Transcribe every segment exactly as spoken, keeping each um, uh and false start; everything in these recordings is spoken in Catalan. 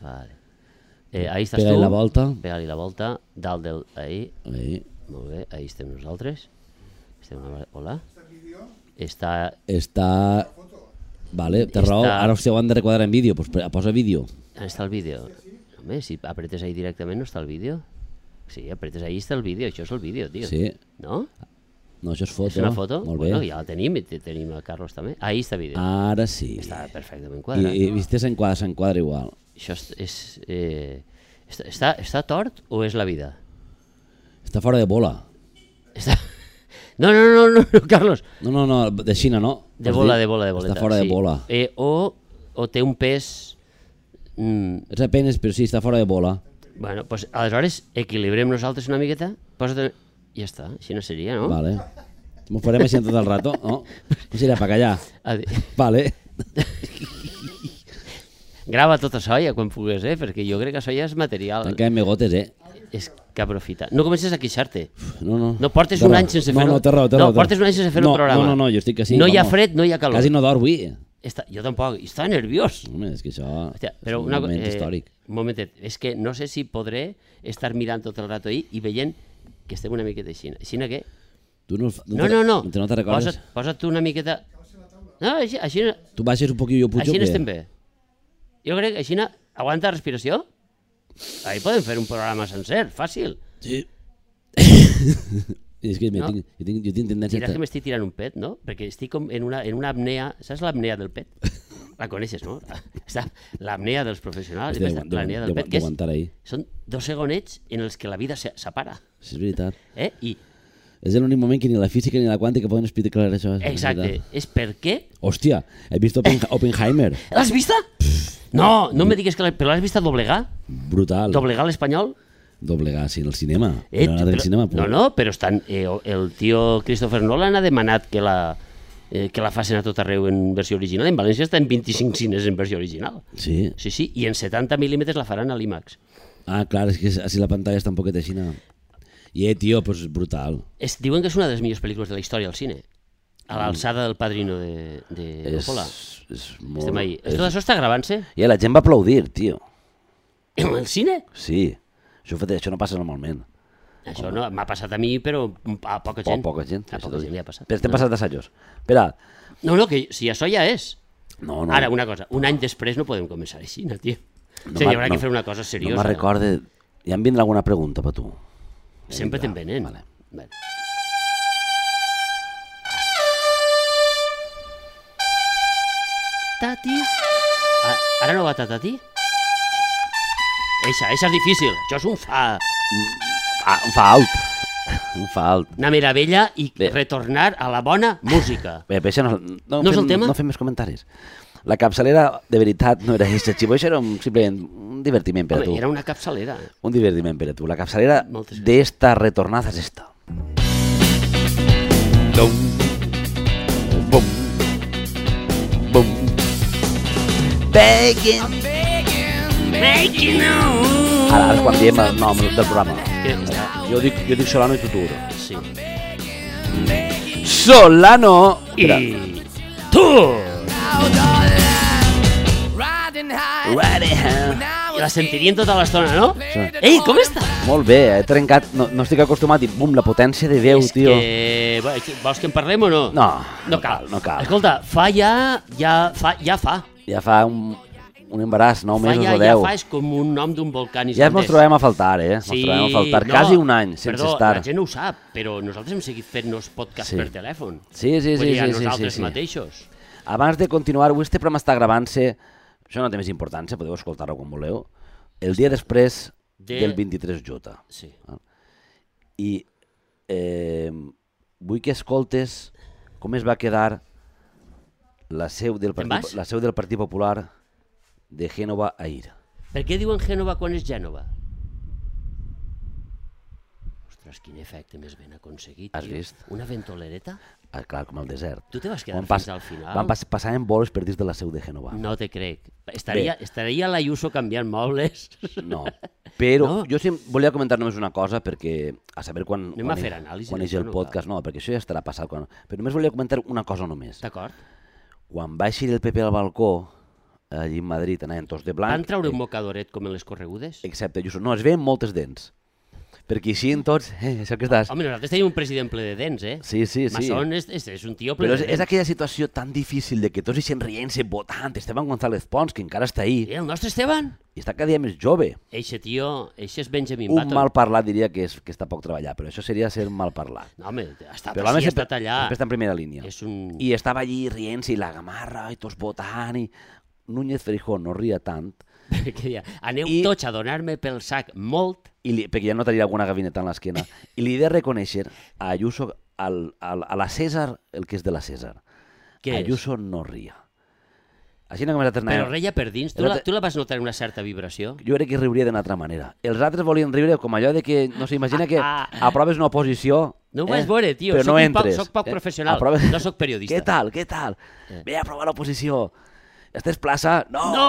Vale. Eh, ahí estàs Pega-li tu. la volta. Pega-li la volta. Dalt del... Ahí. Ahí. Molt bé, ahí estem nosaltres. Estem una... Hola. Està... Està... Vale, té raó. Està- Ara si ho han de requadrar en vídeo, doncs posa vídeo. On està el vídeo? Home, si apretes ahí directament no està el vídeo. Sí, apretes ahí està el vídeo, això és el vídeo, tio. Sí. No? No, això és foto. És una foto? Molt bé. Bueno, ja la tenim i te- tenim el Carlos també. Ahí està el vídeo. Ara sí. Està perfectament I, quadrat. i viste s'enquadra, s'enquadra igual. Això és... és eh... està, està, està tort o és la vida? Està fora de bola. Està... No, no, no, no, no, Carlos. No, no, no, de Xina, no? De Vols bola, dir? de bola, de boleta. Està fora sí. de bola. Eh, o, o té un pes... Mm, És apenes, però sí, està fora de bola. bueno, pues, aleshores equilibrem nosaltres una miqueta. Posa't... Ja està, així no seria, no? Vale. M'ho farem així tot el rato, no? No serà per callar. Adi... Vale. Grava tot això ja quan pugues, eh? Perquè jo crec que això ja és material. Tanquem megotes, eh? És que aprofita. No comences a queixar-te. No, no. No portes Té un raó. any sense no, fer-ho. No, té raó, té No, raó. portes un any sense fer no, el programa. No, no, no, jo estic així. No hi ha vamos. fred, no hi ha calor. Quasi no dorm avui. Està, jo tampoc, està nerviós. Home, és que això Hòstia, però és un una, moment eh, històric. Un momentet, és que no sé si podré estar mirant tot el rato ahí i veient que estem una miqueta així. Així que... Tu no, No, no, no. no te recordes? Posa't, posa't tu una miqueta... No, així, així, Tu baixes un poquillo, jo pujo, així o què? estem bé. Jo crec que així... Aguanta respiració? Ahí podem fer un programa sencer, fàcil. Sí. I és que me No. tinc, jo, tinc, jo tinc tendència... Diràs que m'estic tirant un pet, no? Perquè estic com en una, en una apnea... Saps l'apnea del pet? La coneixes, no? Està l'apnea dels professionals. De- Aquesta, de- l'apnea de- del pet, que és, d'aguantar ahí. són dos segonets en els que la vida se- separa. Sí, és veritat. Eh? I, És l'únic moment que ni la física ni la quàntica poden explicar això. és exacte, veritat. és per què... Hòstia, he vist Oppen, Oppenheimer. L'has vista? No, no me digues que... La, però l'has vista doblegar? Brutal. Doblegar l'espanyol? Doblegar, sí, en el cinema. Eh, no anat al però- cinema, no, no, però estan, eh, el tio Christopher Nolan ha demanat que la, eh, que la facin a tot arreu en versió original. En València està en vint-i-cinc cines en versió original. Sí. Sí, sí, i en setanta mil·límetres la faran a l'IMAX. Ah, clar, és que així la pantalla està un poquet així. No? I, eh, tio, pues brutal. Es, diuen que és una de les millors pel·lícules de la història al cine. A l'alçada del Padrino de, de És, Coppola. és molt... Estem ahí. És... Tot això està gravant-se? I la gent va aplaudir, tio. En el cine? Sí. Això, això no passa normalment. Això no, m'ha passat a mi, però a poca gent. O poca gent. A poca gent li ha passat. Però estem No. passat d'assajos. Espera. No, no, que si això ja és. No, no. Ara, una cosa, un any després no podem començar així, no, tio. No o sigui, hi m'ha- haurà no, que fer una cosa seriosa. No me'n recorde... Ja em vindrà alguna pregunta per tu. Sempre te'n venen. Vale. Vale. Tati. Ah, ara no va ta Tati? Eixa, eixa és difícil. Això és un fa... Ah, un fa alt. Un fa alt. Una meravella i Bé. retornar a la bona música. Bé, però això no, no, No és fem, el tema? No fem més comentaris. La capçalera, de veritat, no era aquesta, Xivo, això era un, simplement un divertiment per a Home, tu. era una capçalera. Un divertiment per a tu. La capçalera Moltes de esta retornada és esta. Dum, bum, bum. Begging. Making Ara, ara és quan diem el nom del programa. Que... Jo dic, jo dic Solano i Tutur. Sí. Solano! Espera. I tu! I la sentirien tota l'estona, no? Sí. Ei, com està? Molt bé, he trencat, no, no estic acostumat i bum, la potència de veu, És tio. que... Bueno, vols que en parlem o no? No, no cal. no cal. Escolta, fa ja... Ja fa, ja fa. Ja fa un, un embaràs, nou Fa mesos ja, o ja deu. fa, és com un nom d'un volcà Ja islandès. ens trobem a faltar, eh? Ens Sí, trobem a faltar no, quasi un any sense perdó, estar. la gent no ho sap, però nosaltres hem seguit fent-nos podcast Sí. per telèfon. Sí, sí, Vull sí, dir, a sí, sí, nosaltres sí, sí. mateixos. Abans de continuar, avui este programa està gravant-se, això no té més importància, podeu escoltar-ho quan voleu, el dia després De- del vint-i-tres J. Sí. I eh, vull que escoltes com es va quedar la seu del Te'n Partit, vas? la seu del Partit Popular de Gènova a Ir. Per què diuen Gènova quan és Gènova? Ostres, quin efecte més ben aconseguit, Has tio. vist? Una ventolereta? Ah, clar, com al desert. Tu te vas quedar Van fins pas- al final? Van pas, passar en vols per dins de la seu de Gènova. No te crec. Estaria, estaria l'Ayuso canviant mobles? No, però No? jo sí volia comentar només una cosa perquè a saber quan, Anem quan, a fer anàlisi quan és d'això, el no podcast, no, perquè això ja estarà passat. Quan... Però només volia comentar una cosa només. D'acord. Quan va eixir el Pepe al balcó, allí en Madrid, anaven tots de blanc. Van traure un mocadoret com en les corregudes? Excepte Ayuso. No, es veien moltes dents. Perquè així en tots, eh, això que estàs... Home, nosaltres tenim un president ple de dents, eh? Sí, sí, sí. Masson és, és, és un tio ple Però de és, dents. és aquella situació tan difícil de que tots eixen rient-se, votant, Esteban González Pons, que encara està ahí, I el nostre Esteban? i està cada dia més jove. Eixe tio, eixe és Benjamin Un Button. mal parlat diria que, és, que està poc treballat, però això seria ser mal parlat. No, home, ha estat Però l'home així, ha sempre, estat allà. sempre està en primera línia. És un... I estava allí rient-se, i la gamarra, i tots votant, i Núñez Feijóo no ria tant, Perquè deia, aneu I- tots a donar-me pel sac molt. i li, perquè ja no tenia alguna gavineta en l'esquena, i li he de reconèixer a Ayuso, al, al, a la César, el que és de la César. Què és? Ayuso no ria. Així no com nosaltres Però anàvem- reia per dins. Tu El la, altre- tu la vas notar en una certa vibració? Jo crec que riuria d'una altra manera. Els altres volien riure com allò de que, no sé, imagina que Ah, aproves una oposició... No ho vas veure, tio. Però Soc no un poc- entres. soc poc eh? professional, Aproves- no soc periodista. Què tal, què tal? Eh. Ve a aprovar l'oposició. Estàs plaça? No! No!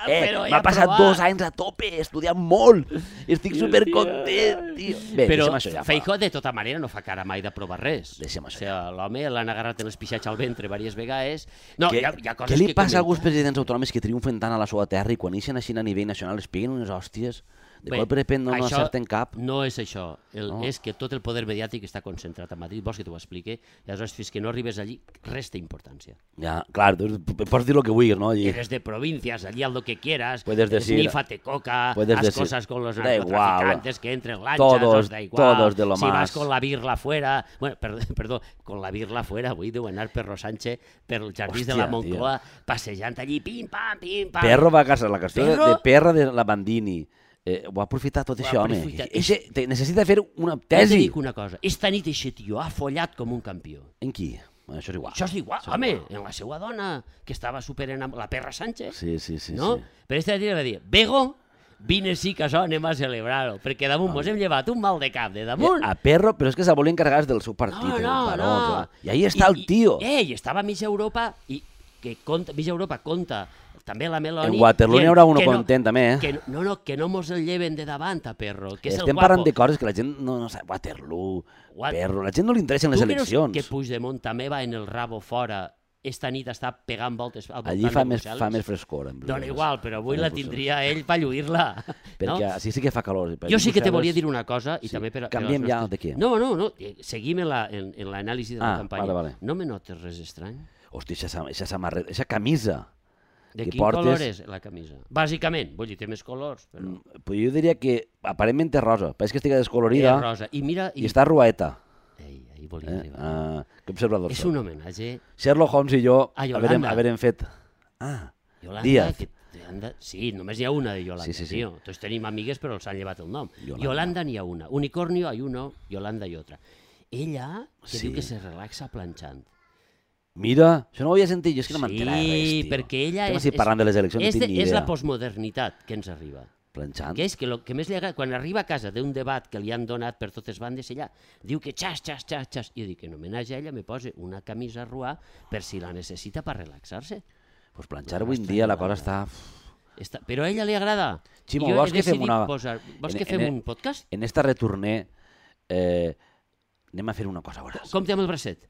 Eh, Però he m'ha passat aprovat. dos anys a tope, estudiant molt. Estic supercontent, tio. Bé, Però deixem això ja. Feijóo de tota manera no fa cara mai d'aprovar res. Deixem això O sigui, l'home l'han agarrat en l'espixatge al ventre diverses vegades. No, Què, hi ha, hi ha coses què li que passa a comentar. alguns presidents autonòmics que triomfen tant a la seva terra i quan ixen així a nivell nacional es peguen unes hòsties? De Bé, cop de repente no, no això acerten cap. No és això, el, No. no. és que tot el poder mediàtic està concentrat a Madrid, vols que t'ho expliqui? I aleshores, fins que no arribes allí, res té importància. Ja, clar, tu pots dir el que vulguis, no? I... Eres de provincias, allí haz lo que quieras, Puedes decir- esnífate coca, puedes haz decir- cosas con los da igual. narcotraficantes, que entren lanchas, Todos- os da igual. todos de lo si más. vas con la birla fuera, bueno, perdó, perdó con la birla fuera, avui deu anar Perro Sánchez per els jardins de la Hòstia, Moncloa, passejant allí, pim, pam, pim, pam. Perro va a casa, la qüestió de, Perro? de Perra de la Bandini. Eh, ho ha aprofitat tot Ho ha això, home. aprofitat. Eixe, te, necessita fer una Ja te tesi. dic una cosa, esta nit eixe tio ha follat com un campió. En qui? Bueno, això és igual. Això és igual, Això és home, igual. en la seva dona, que estava super enamorada, la Perra Sánchez, Sí, sí, sí. no? sí. Però esta tio va dir, Bego, vine sí que això anem a celebrar-ho, perquè damunt mos hem llevat un mal de cap de damunt. A Perro, però és que se volia encarregar del seu partit. No, el no, Baró, no. clar. I ahí està el tio. I, eh, i estava a mitja Europa, i que compta, mitja Europa compta també la Meloni... En Waterloo n'hi dient haurà uno que no- content, també, eh? Que no, no, no, que no mos el lleven de davant a Perro, que és Estem el guapo. parlant de coses que la gent no, no sap. Waterloo, What? Perro... La gent no li interessen les Tu creus eleccions. que Puigdemont també va en el rabo fora esta nit està pegant voltes al voltant Allí fa de més, Brussel·les? fa més frescor. En Dona Brussel·les. igual, però avui Fa la més Brussel·les. tindria ell per lluir-la. Perquè no? així sí que fa calor. Per Jo sí que te Brussel·les- volia dir una cosa, i Sí. també per, per Canviem als ja nostres- de què? No, no, no, eh, seguim en la- en en l'anàlisi de la Ah, campanya. vale, vale. No me notes res estrany? Hòstia, eixa, eixa samarreta, eixa camisa. De Que quin portes- color és la camisa? Bàsicament, vull dir, té més colors, però... Mm, Pues jo diria que aparentment és rosa. Pareix que estigui descolorida És rosa. I mira... i està ruaeta. Ei, ahí volia Eh? arribar. Uh, que observador És soc. un homenatge Sherlock Holmes i jo A haverem, Yolanda. haverem fet... Ah, Yolanda, Díaz. que Yolanda, sí, només n'hi ha una de Yolanda, Sí, sí, sí. tio. Tots tenim amigues, però els han llevat el nom. Yolanda. Yolanda n'hi ha una. Unicornio hay uno, Yolanda y otra. Ella, que Sí. diu que se relaxa planxant. mira, això no ho havia sentit, jo és que no Sí, m'enterava res, tio. perquè ella Estem és... així parlant de les eleccions, és, no tinc de, ni és idea. la postmodernitat que ens arriba. Planxant. Que és que el que més li agrada, quan arriba a casa d'un debat que li han donat per totes bandes, ella diu que xas, xas, xas, xas. I jo dic que en homenatge a ella me posa una camisa ruà per si la necessita per relaxar-se. Pues planxar avui en dia la cosa està... Està... Però a ella li agrada. Ximo, I jo vols he que fem decidit una- Posar... Vols en- que fem en- un podcast? En esta retorné eh, anem a fer una cosa, veuràs. Com té amb el bracet?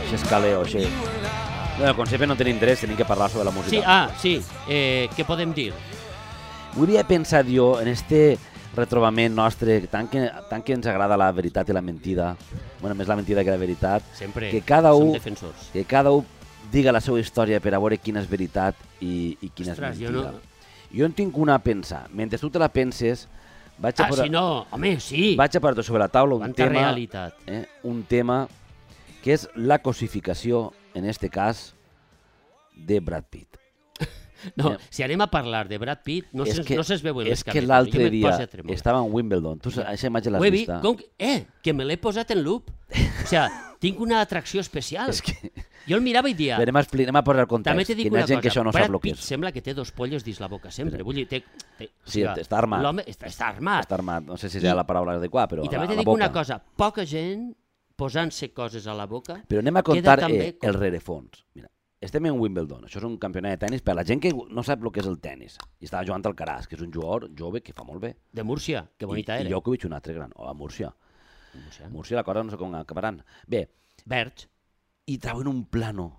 Això és caleo, això. No, com sempre no tenim interès, tenim que parlar sobre la música. Sí, ah, sí. Eh, què podem dir? Hauria pensat jo en este retrobament nostre, tant que, tant que ens agrada la veritat i la mentida, bueno, més la mentida que la veritat, Sempre que cada som un, defensors. que cada un diga la seva història per a veure quina és veritat i, i quina Ostres, és jo mentida. no- Jo en tinc una a pensar. Mentre tu te la penses, vaig a, Ah, posar, si no, home, sí. vaig a posar sobre la taula un Quanta tema, realitat. eh, un tema que és la cosificació, en este cas, de Brad Pitt. No, Eh, si anem a parlar de Brad Pitt, no és se'ns que, no se'ns veuen les és que cametes. l'altre Jo me'n dia poso a tremolar. estava en Wimbledon. Tu aquesta imatge l'has Ho he vist? vist, com que, eh, que me l'he posat en loop. O sigui, tinc una atracció especial. És que... Jo el mirava i dia... Bé, anem, a expli- anem a posar el També context, t'he dit que hi una ha gent cosa, que això no Brad sap el que Pitt és. sembla que té dos pollos dins la boca sempre. Vull dir, té, té, Sí, o sigui, està armat. L'home està, està armat. Està armat, no sé si I- serà la paraula adequada, però I a també la, t'he a la dit boca. una cosa, poca gent posant-se coses a la boca... Però anem a queda contar també eh, com- el rerefons. Mira, estem en Wimbledon, això és un campionat de tennis per a la gent que no sap el que és el tennis. I estava jugant al Caraz, que és un jugador jove que fa molt bé. De Múrcia, que bonita I, era. I Djokovic un altre gran, o a Múrcia. Múrcia. Múrcia la cosa no sé com acabaran. Bé, Verge. i trauen un plano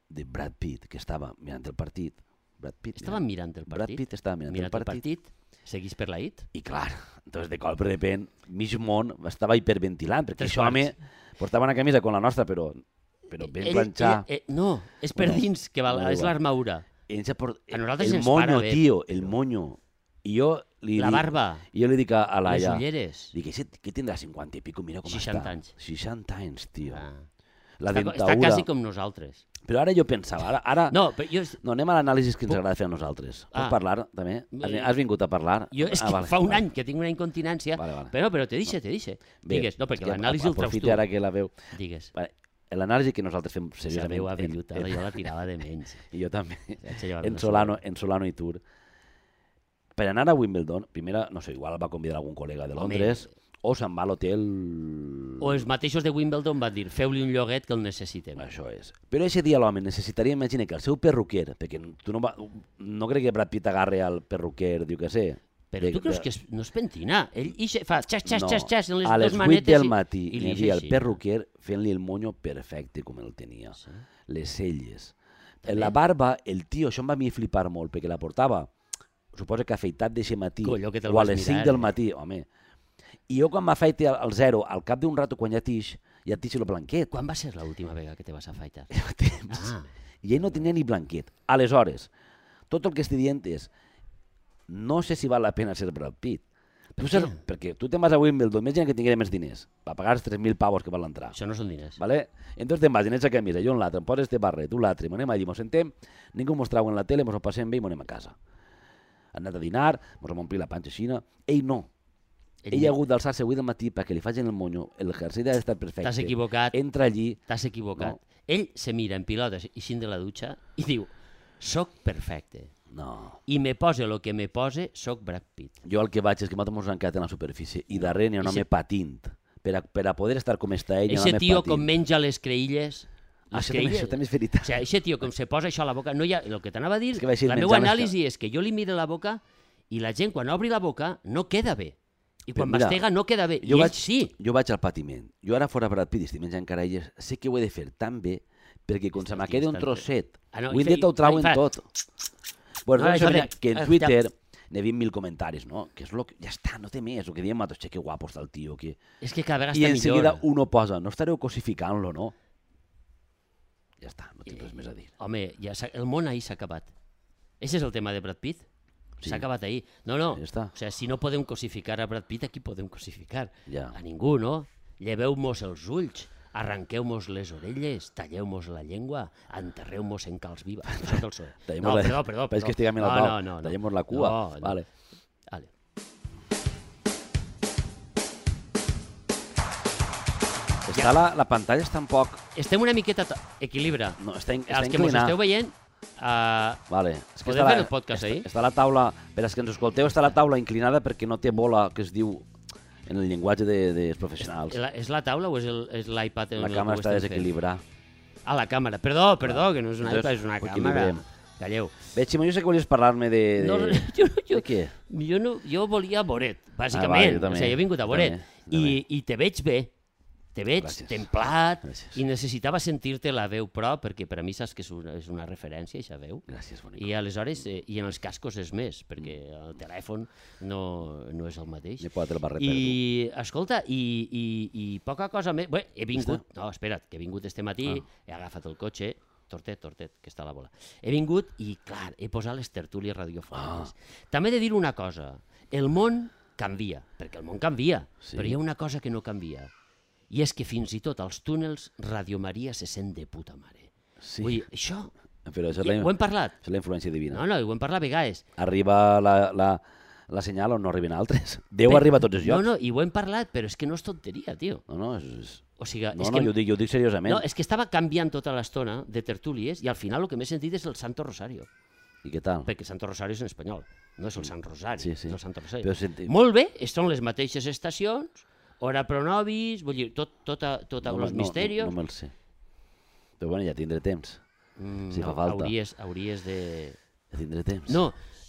de Brad Pitt, que estava mirant el partit. Brad Pitt, estava mirant el partit? Brad Pitt estava mirant, mirant el partit. el partit, seguís per la I T? I clar, entonces de cop de repent, mig món estava hiperventilant, perquè Tres això home portava una camisa com la nostra, però, però ben Ell- planxar. ell- eh, no, és per No, dins, que val, no, és igual. l'armadura. Ell se port... A nosaltres el ens moño, para bé, tio, el però- moño. I jo li La dic- barba, I jo li dic a, a les Laia, ulleres. dic, "Ese que tindrà cinquanta i pico, mira com seixanta està. anys. seixanta anys, tio. Ah. La Està, dentadura. està quasi com nosaltres. Però ara jo pensava, ara, ara... No, però jo, No, anem a l'anàlisi que ens Puc- agrada fer a nosaltres. Pots Ah. parlar, també? Has, Eh, has vingut a parlar? jo és Ah, que vale, fa un vale. any que tinc una incontinència, Vale, vale. però, però te dice, te dice. Bé, Digues, no, perquè és que l'anàlisi el traus aprofite tu. ara que la veu. Digues. Vale. L'anàlisi que nosaltres fem La seriosament... veu en- avellutada, en- jo la tirava de menys. I jo també. Vaig llevar En una Solano, sola. en Solano i Tour. Per anar a Wimbledon, primera, no sé, igual va convidar algun col·lega de Home. Londres, o se'n va a l'hotel... O els mateixos de Wimbledon van dir, feu-li un lloguet que el necessitem. Això és. Però aquest dia l'home necessitaria, imagina, que el seu perruquer, perquè tu no, va, no crec que Brad Pitt agarre al perruquer, diu que sé. Però tu creus que és, no és pentina? Ell ixe, fa xas, xas, No. xas, xas en les A les dues vuit manetes del i- matí i hi li havia el així. perruquer fent-li el monyo perfecte com el tenia. Sí. Les celles. També. La barba, el tio, això em va a mi flipar molt, perquè la portava, suposo que afeitat d'eixe matí, Colló, que te'l o a vas les mirar, cinc del eh? matí, home. I jo quan m'afeite al, al zero, al cap d'un rato, quan ja tix, ja tix el blanquet. Quan va ser l'última vegada que te vas afaitar? Temps. Ah, I ell no tenia ni blanquet. Aleshores, tot el que estic dient és, no sé si val la pena ser Brad Pitt. Per Tu saps, què? perquè tu te'n vas a Wimbledon, imagina que tingués més diners, va pagar els tres mil pavos que val l'entrar. això no són diners. ¿Vale? Entonces te'n vas en aquesta camisa, jo en l'altre, em poses este barret, tu l'altre, m'anem allí, mos sentem, ningú mos trau en la tele, mos ho passem bé i m'anem a casa. Han anat a dinar, mos hem omplit la panxa xina, ell no. Ell Ell ha no. hagut d'alçar-se avui del matí perquè li facin el monyo, el jersei ha d'estar perfecte. T'has equivocat, Entra allí, t'has equivocat. No. Ell se mira en pilotes ixint de la dutxa i diu, soc perfecte. no. I me pose lo que me pose, soc Brad Pitt. Jo el que vaig és que nosaltres mos han quedat en la superfície i darrere n'hi ha un Eixe- home patint. Per a, per a poder estar com està ell, n'hi ha un Eixe home tio patint. com menja les creïlles... Les Això també, creïlles- això també és O veritat. sigui, eixe tio com se posa això a la boca... No hi ha, el que t'anava a dir, És que va així la meva menjant les anàlisi és que jo li miro la boca i la gent quan obri la boca no queda bé. I quan Però mira, mastega no queda bé. Jo I vaig, ell sí. jo vaig al patiment. Jo ara fora Brad Pitt i estic menjant carelles, sé que ho he de fer tan bé perquè quan se me quedi un trosset, Ah, no, avui i en dia fe- t'ho trauen i fa- tot. Bueno, Ah, doncs això això mira, de- que en ah, Twitter n'he vist mil comentaris, no? Que és lo que... Ja està, no té més. El que diem nosaltres, que guapo està el tio. Que... És que cada vegada I està en seguida millor. uno posa, no estareu cosificant-lo, no? Ja està, no tinc res més a dir. Home, ja s'ha- el món ahir s'ha acabat. Ese és el tema de Brad Pitt. Sí. S'ha acabat ahir. No, no. Ja està. O sigui, si no podem cosificar a Brad Pitt, aquí podem cosificar. Ja. A ningú, no? Lleveu-mos els ulls, arranqueu-mos les orelles, talleu-mos la llengua, enterreu-mos en calç viva. Això és el so. Tallem-mos No, la- perdó, perdó. Pareix perdó. que estiguem en el no, pau. no, no, no. Tallem-mos la cua. No, no. Vale. Vale. Està la, la pantalla està un poc... Estem una miqueta... to- Equilibra. No, està, in- està Els que mos inclinat. esteu veient, uh, Vale. És que Podem està fer el podcast està, ahí? Està la taula, per als que ens escolteu, està la taula inclinada perquè no té bola, que es diu en el llenguatge de, dels professionals. la, és la taula o és el- és l'iPad? en La el càmera que ho està estem fent? desequilibrada. Ah, la càmera. Perdó, perdó, que no és una Entonces, iPad, és una ho càmera. equilibrem. Calleu. Bé, Ximo, jo sé que volies parlar-me de... de... No, jo, jo, De què? jo, no, jo volia Boret, Ah, bàsicament. vale, jo o també, sigui, jo he vingut a jo Boret. també, jo I, també. I te veig bé. Te veig Gràcies. templat Gràcies. i necessitava sentir-te la veu pro, perquè per a mi saps que és una, és una referència, aquesta veu. Gràcies, bonic. I aleshores, eh, i en els cascos és més, perquè el telèfon no, no és el mateix. M'he posat el barret per tu. I, escolta, i, i, i poca cosa més... Bé, he vingut... No, espera't, que he vingut este matí, Ah. he agafat el cotxe, tortet, tortet, que està a la bola. He vingut i, clar, he posat les tertúlies radiofòniques. Ah. També he de dir una cosa. El món canvia, perquè el món canvia, Sí. però hi ha una cosa que no canvia. I és que fins i tot als túnels Radio Maria se sent de puta mare. Sí. Vull dir, això... Però això és Ja, la, ho hem parlat. això és la influència divina. No, no, ho hem parlat a vegades. Arriba la, la, la senyal on no arriben altres. Déu Bé, arriba a tots els llocs. No, no, i ho hem parlat, però és que no és tonteria, tio. no, no, és, és... O sigui, no, és no que... jo, ho dic, jo ho dic seriosament. No, és que estava canviant tota l'estona de tertúlies i al final el que m'he sentit és el Santo Rosario. I què tal? Perquè Santo Rosario és en espanyol, no és el Sant Rosari, Sí, sí. és el Santo Rosario. Però senti... Molt bé, són les mateixes estacions, hora pro nobis, vull dir, tot, tota, tota no, els no, misterios. No, no me'l sé. Però bueno, ja tindré temps. Mm, si fa no, falta. Hauries, hauries de... Ja tindré temps. No,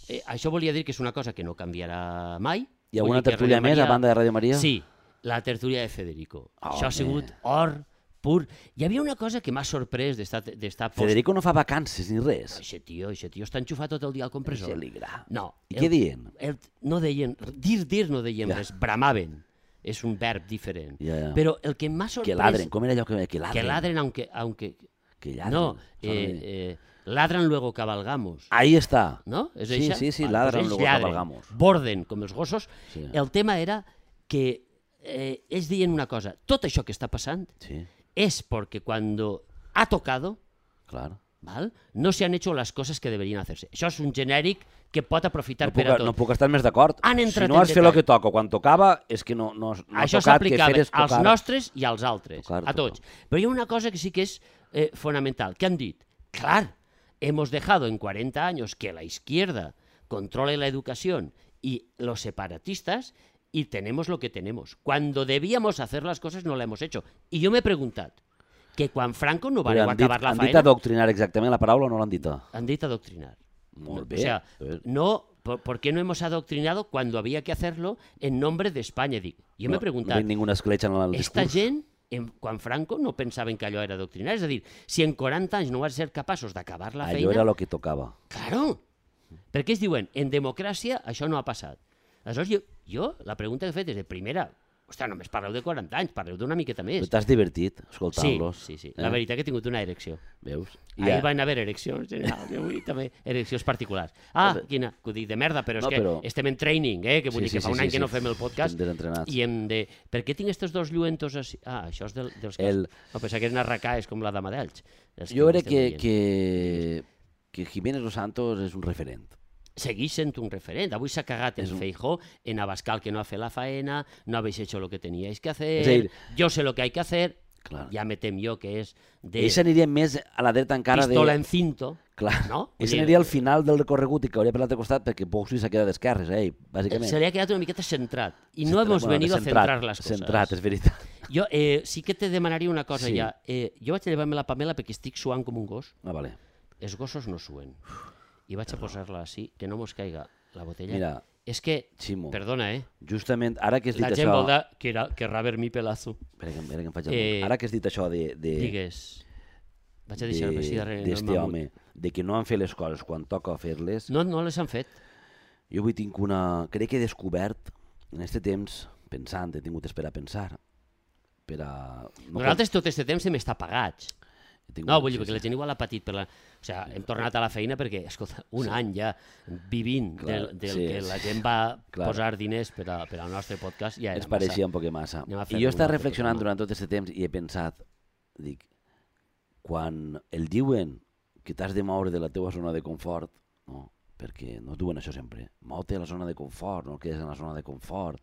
eh, això volia dir que és una cosa que no canviarà mai. Hi ha Vull alguna dir que tertúlia Radio més a Maria- banda de Radio Maria? Sí, la tertúlia de Federico. Oh, Això ha home. sigut or pur. Hi havia una cosa que m'ha sorprès d'estar... Post... Federico no fa vacances ni res. Això tio, això tio està enxufat tot el dia al compressor. Això li gra. No. I què diuen? El, no deien, dir, dir no deien Ja. res, bramaven. És un verb diferent. Ja, ja. Però el que m'ha sorprès... Que ladren, com era allò que... Que ladren. Que ladren, aunque... aunque... Que ladren. No, eh, eh, ladran luego cabalgamos. Ahí està. No? És Sí, eixa? sí, sí, Vale, ladran pues ells luego lladren, cabalgamos. Borden, com els gossos. Sí. El tema era que eh, ells deien una cosa, tot això que està passant Sí, es porque cuando ha tocado, claro. ¿val? No se han hecho las cosas que deberían hacerse. Això és un genèric que pot aprofitar No per puc, a tot. no puc estar més d'acord. Han Si entrat no en has fet el detall. que toca quan tocava, és que no, no, no ha Això tocat que s'aplicava feres als tocar. nostres i als altres, Tocar, a tots. tocar. Però hi ha una cosa que sí que és eh, fonamental. ¿Qué han dit? Clar, hemos dejado en cuarenta años que la izquierda controle la educación y los separatistas y tenemos lo que tenemos. Cuando debíamos hacer las cosas no la hemos hecho. I jo m'he preguntat que quan Franco no va Però han dit, acabar la han dit faena... adoctrinar exactament la paraula o no l'han dit? Han dit adoctrinar. Molt bé. O sea, Eh, no, ¿por, ¿por qué no hemos adoctrinado cuando había que hacerlo en nombre de España? Dic, jo m'he no, preguntat, No hi ha ninguna escletxa en el esta discurs. gent, en, quan Franco no pensaven que allò era adoctrinar, és a dir, si en quaranta anys no vas ser capaços d'acabar la Allò feina... era el que tocava. Claro, perquè ells diuen, en democràcia això no ha passat. Aleshores, jo, jo la pregunta que he fet és de primera, ostres, només parleu de quaranta anys, parleu d'una miqueta Però més. t'has divertit Sí, escoltant-los. sí, sí. Eh? La veritat que he tingut una erecció. Veus? Ahir Ja. van haver ereccions generals, i avui també ereccions particulars. Ah, Però- quina, que ho dic de merda, però és No, que però- estem en training, eh? Que vull Sí, dir que sí, fa sí, un sí, any que sí. no fem el podcast Estem desentrenats. i hem de... Per què tinc estos dos lluentos així? Ah, això és del, dels que... El- No, pensava que eren arracaes com la dama d'Elx. els Jo ho crec estem que, veient. que, que Jiménez Los Santos és un referent. Segueix sent un referent. Avui s'ha cagat en És un- Feijóo, en Abascal, que no ha fet la faena, no habéis hecho lo que teníais que hacer, És a dir- yo sé lo que hay que hacer, Clar. ja me tem jo que és de Ells aniria més a la dreta encara pistola de... en cinto, Clar. no? Ells Vull dir, aniria al final del recorregut i cauria per l'altre costat perquè Boxy s'ha quedat d'esquerres, eh, bàsicament. se li ha quedat una miqueta centrat. I no Centrat, hemos bueno, venido a centrat, centrar las cosas. Centrat, és veritat. Jo eh, sí que te demanaria una cosa Sí. ja. Eh, jo vaig llevar-me la Pamela perquè estic suant com un gos. Ah, vale. Els gossos no suen. I vaig a posar-la així, que no mos caiga la botella. Mira, És que, Ximo, perdona, eh? justament ara que has dit La gent això... vol de que era, querrà ver mi pelazo. Espera que, espera que em faig el Eh, Ara que has dit això de... de... Digues. Vaig a deixar-me així darrere. no d'este m'amunt. home, de que no han fet les coses quan toca fer-les, No, no les han fet. jo avui tinc una... Crec que he descobert, en aquest temps, pensant, he tingut d'esperar a pensar, per a... No, Nosaltres tot aquest temps hem estat pagats. he tingut- No, vull dir, sí, perquè la sí. gent igual ha patit per la... O sigui, hem tornat a la feina perquè, escolta, un any ja vivint Clar, del, del sí, que sí. la gent va Clar. posar diners per, a, per al nostre podcast, ja era Ens pareixia un poc massa. Anem a I fer jo he un estat altre reflexionant programa. durant tot aquest temps i he pensat, dic, quan el diuen que t'has de moure de la teua zona de confort, no? Perquè no diuen això sempre, mou-te a la zona de confort, no quedes en la zona de confort.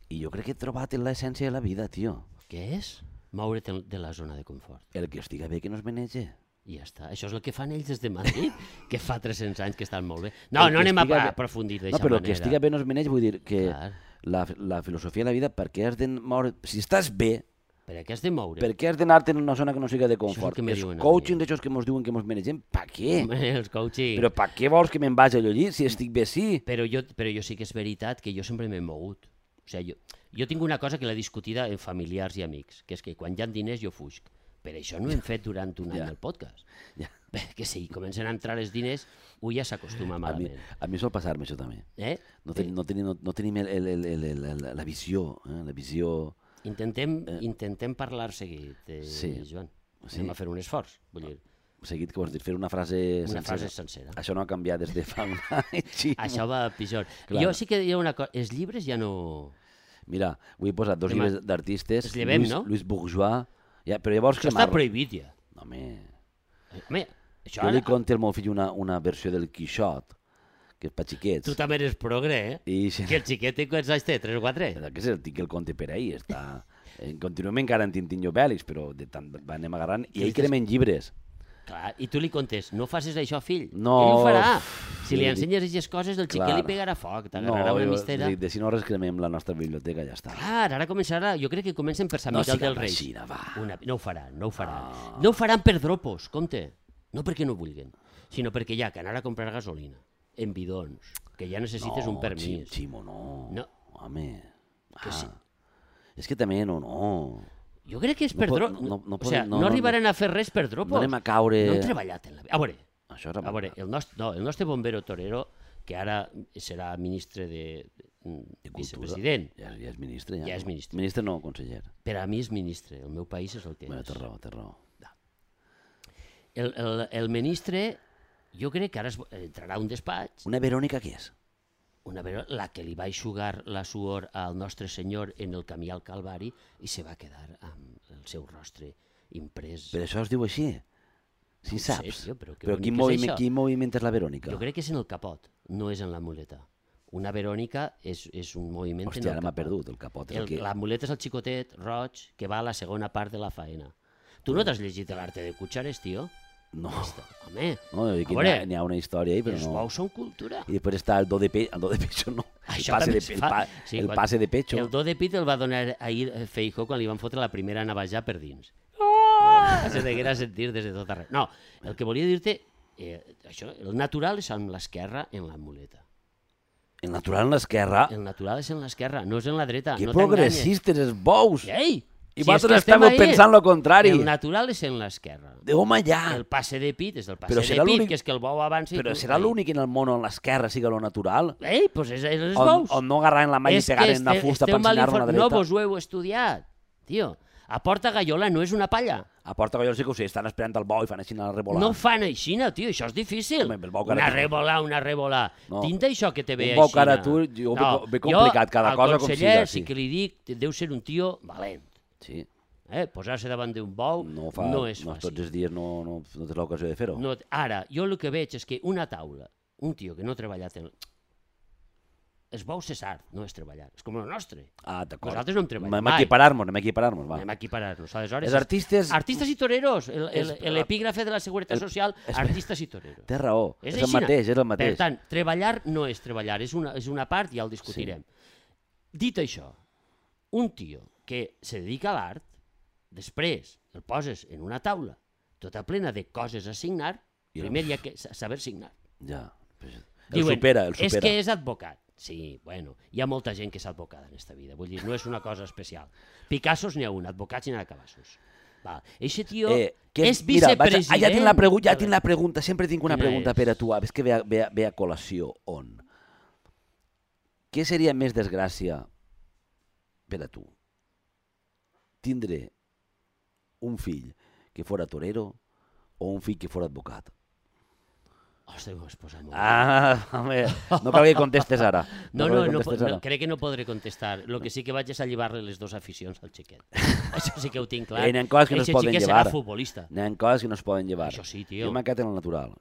I jo crec que he trobat l'essència de la vida, tio. Què és? Moure't de la zona de confort. El que estiga bé que no es menege. I ja està. Això és el que fan ells des de Madrid, que fa tres-cents anys que estan molt bé. No, El no que anem a estiga bé- aprofundir No, d'aquesta però manera. el que estiga bé no es menege, vull dir que Clar. la, la filosofia de la vida, per què has de moure... Si estàs bé, Per què has de moure? per què has d'anar-te en una zona que no siga de Això és el confort? que me Els diuen a coaching mi. d'aixòs que ens diuen que ens menegem, per què? Home, els coaching. Però per què vols que me'n vagi allò allí? Si estic bé, sí. Però jo, però jo sí que és veritat que jo sempre m'he mogut. O sigui, jo, jo tinc una cosa que l'he discutida en familiars i amics, que és que quan hi ha diners jo fuig. Per això no hem fet durant un any Ja. el podcast. Ja. Que si comencen a entrar els diners, un ja s'acostuma A mi, malament. a mi sol passar-me això també. Eh? No, ten, no, tenim, no, no tenim el, el, el, el, el, la visió, eh? la visió... Intentem, intentem parlar seguit, eh, Sí. Joan. Sí. Anem a fer un esforç. Vull dir, Seguit que vols dir, fer una frase una sencera. frase sencera. Això no ha canviat des de fa un any. Sí. Això va pitjor. Clar. Jo sí que hi ha una cosa... Els llibres ja no... Mira, avui he posat dos Demà- llibres d'artistes. els llevem, Luis, no? Luis Bourgeois. Ja, però llavors Això està cremar-lo. prohibit ja. No, home, Home, això jo ara... li conto al meu fill una, una versió del Quixot, que és per xiquets. Tu també eres progre, eh? I sí, Que el xiquet té quants anys té? tres o quatre? que és el tinc el conte per ahir. Està... Eh, continuem encara en Tintinyo Bèlix, però de tant va- anem agarrant. I ell cremen llibres. Clar, i tu li contes, no facis això, fill. No, Ell ho farà. uf, Si li sí, ensenyes aquestes coses, el xiquet clar. li pegarà foc, t'agarrarà una jo- mistera. sí, de si no res cremem la nostra biblioteca, ja està. Clar, ara començarà, jo crec que comencen per Sant No Miquel siguem del Rei. així, va. Una... No ho faran, no ho faran. Ah. No ho faran per dropos, compte. No perquè no vulguin, sinó perquè ja que anar a comprar gasolina en bidons, que ja necessites un permís. Xi- Ximo, no. No. Home. Que ah. sí. És que també no, no. Jo crec que és No per pot- dropos. no- no o podem- sigui, no- no, no- arribaran a fer res per dropos. No anem a caure... No han treballat en la vida. A veure, Això és a veure el, nostre, no, el nostre bombero torero, que ara serà ministre de, de, de vicepresident, Ja, ja és ministre, ja. Ja és ministre. Ministre no, conseller. per a mi és ministre, el meu país és el que Bueno, és. té raó, té raó. El, el, el ministre, jo crec que ara es, entrarà a un despatx, Una Verònica què és? una vegada la que li va eixugar la suor al nostre senyor en el camí al Calvari i se va quedar amb el seu rostre imprès. Per això es diu així? No Si ho sé, saps. tio, però que però bonic quin és moviment, això. quin moviment és la Verònica? Jo crec que és en el capot, no és en la muleta. Una Verònica és, és un moviment Hòstia, en el ara m'ha capot. perdut el capot. és El, el que... La muleta és el xicotet roig que va a la segona part de la faena. Tu no t'has llegit l'arte de Cuchares, tio? No, Home, no, a aquí n'hi veure, ha, n'hi ha una història ahí, però els no. bous són cultura. I després està el do de pecho, el do de pecho no, el Això passe també de, es el, fa. pa, Sí, el quan- passe de pecho. El do de pit el va donar ahir Feijóo quan li van fotre la primera navajà per dins. Oh! Se deguera sentir des de tot arreu. No, el que volia dir-te, eh, això, el natural és amb l'esquerra en la muleta. El natural en l'esquerra. El natural és en l'esquerra, no és en la dreta. Que no t'enganyes. progressistes, els bous. Ei! I si és vosaltres que estem estàveu ahí. pensant lo contrari. El natural és en l'esquerra. De home, ja. El passe de pit és el passe Però de serà pit, l'únic- que és que el bou avanci... i Però tu- serà Ai. l'únic en el món on l'esquerra siga lo natural? Ei, doncs és, és els On, bous. on no agarrar en la mà i És pegar que en una este- fusta esteu per mal ensenyar-lo a inform- la dreta? No vos ho heu estudiat, tio. A Porta Gallola no és una palla. A Porta Gallola sí que ho sé, estan esperant el bou i fan així a revolar. No fan aixina, tio, això és difícil. Home, el bou que Una ara- revolà, una revolà. No. Tinc d'això que te ve Un bou aixina. que ara tu, jo ve- ve complicat, cada al cosa com conseller siga, sí. sí que li dic, deu ser un tio valent. Sí, Eh? Posar-se davant d'un bou no, fa, no és no fàcil. tots els dies no, no, no tens l'ocasió de fer-ho. No, ara, jo el que veig és que una taula, un tio que no ha treballat en... Els bous és art, no és treballar. És com el nostre. Ah, d'acord. Nosaltres no hem treballat Anem a mai. equiparar-nos, anem a equiparar-nos, va. Anem a equiparar-nos. Aleshores, Els artistes... artistes i toreros. El- el- És- L'epígrafe de la Seguretat el- Social, és- artistes i toreros. Té raó, és, el aixina. mateix, és el mateix. Per tant, treballar no és treballar, és una, és una part i ja el discutirem. Dit això, un tio que se dedica a l'art, després el poses en una taula tota plena de coses a signar, I el- primer hi ha que sa- saber signar. Ja. El Diuen, supera, el és supera. que és advocat. Sí, bueno, hi ha molta gent que és advocada en aquesta vida, vull dir, no és una cosa especial. Picassos n'hi ha un, advocats n'hi ha cabassos. Val. Eixe tio Eh, que és mira, vaig a- vicepresident... ah, ja tinc la, pregu ja de tinc la pregunta, sempre tinc una Quina pregunta és? per a tu, a veure que ve a, ve, a, ve a col·lació. On? Què seria més desgràcia per a tu? Tindre un fill que fora torero o un fill que fora advocat? Ostres, m'ho has posat molt. Ah, home, no cal que contestes ara. No, cal no, que no, contestes no, ara. crec que no podré contestar. El que sí que vaig és a llevar-li les dues aficions al xiquet. Això sí que ho tinc clar. Eh, n'hi ha coses que no es Eixe poden xiquet llevar. serà futbolista. N'hi ha coses que no es poden llevar. Això sí, tio. Jo m'he quedat en el natural.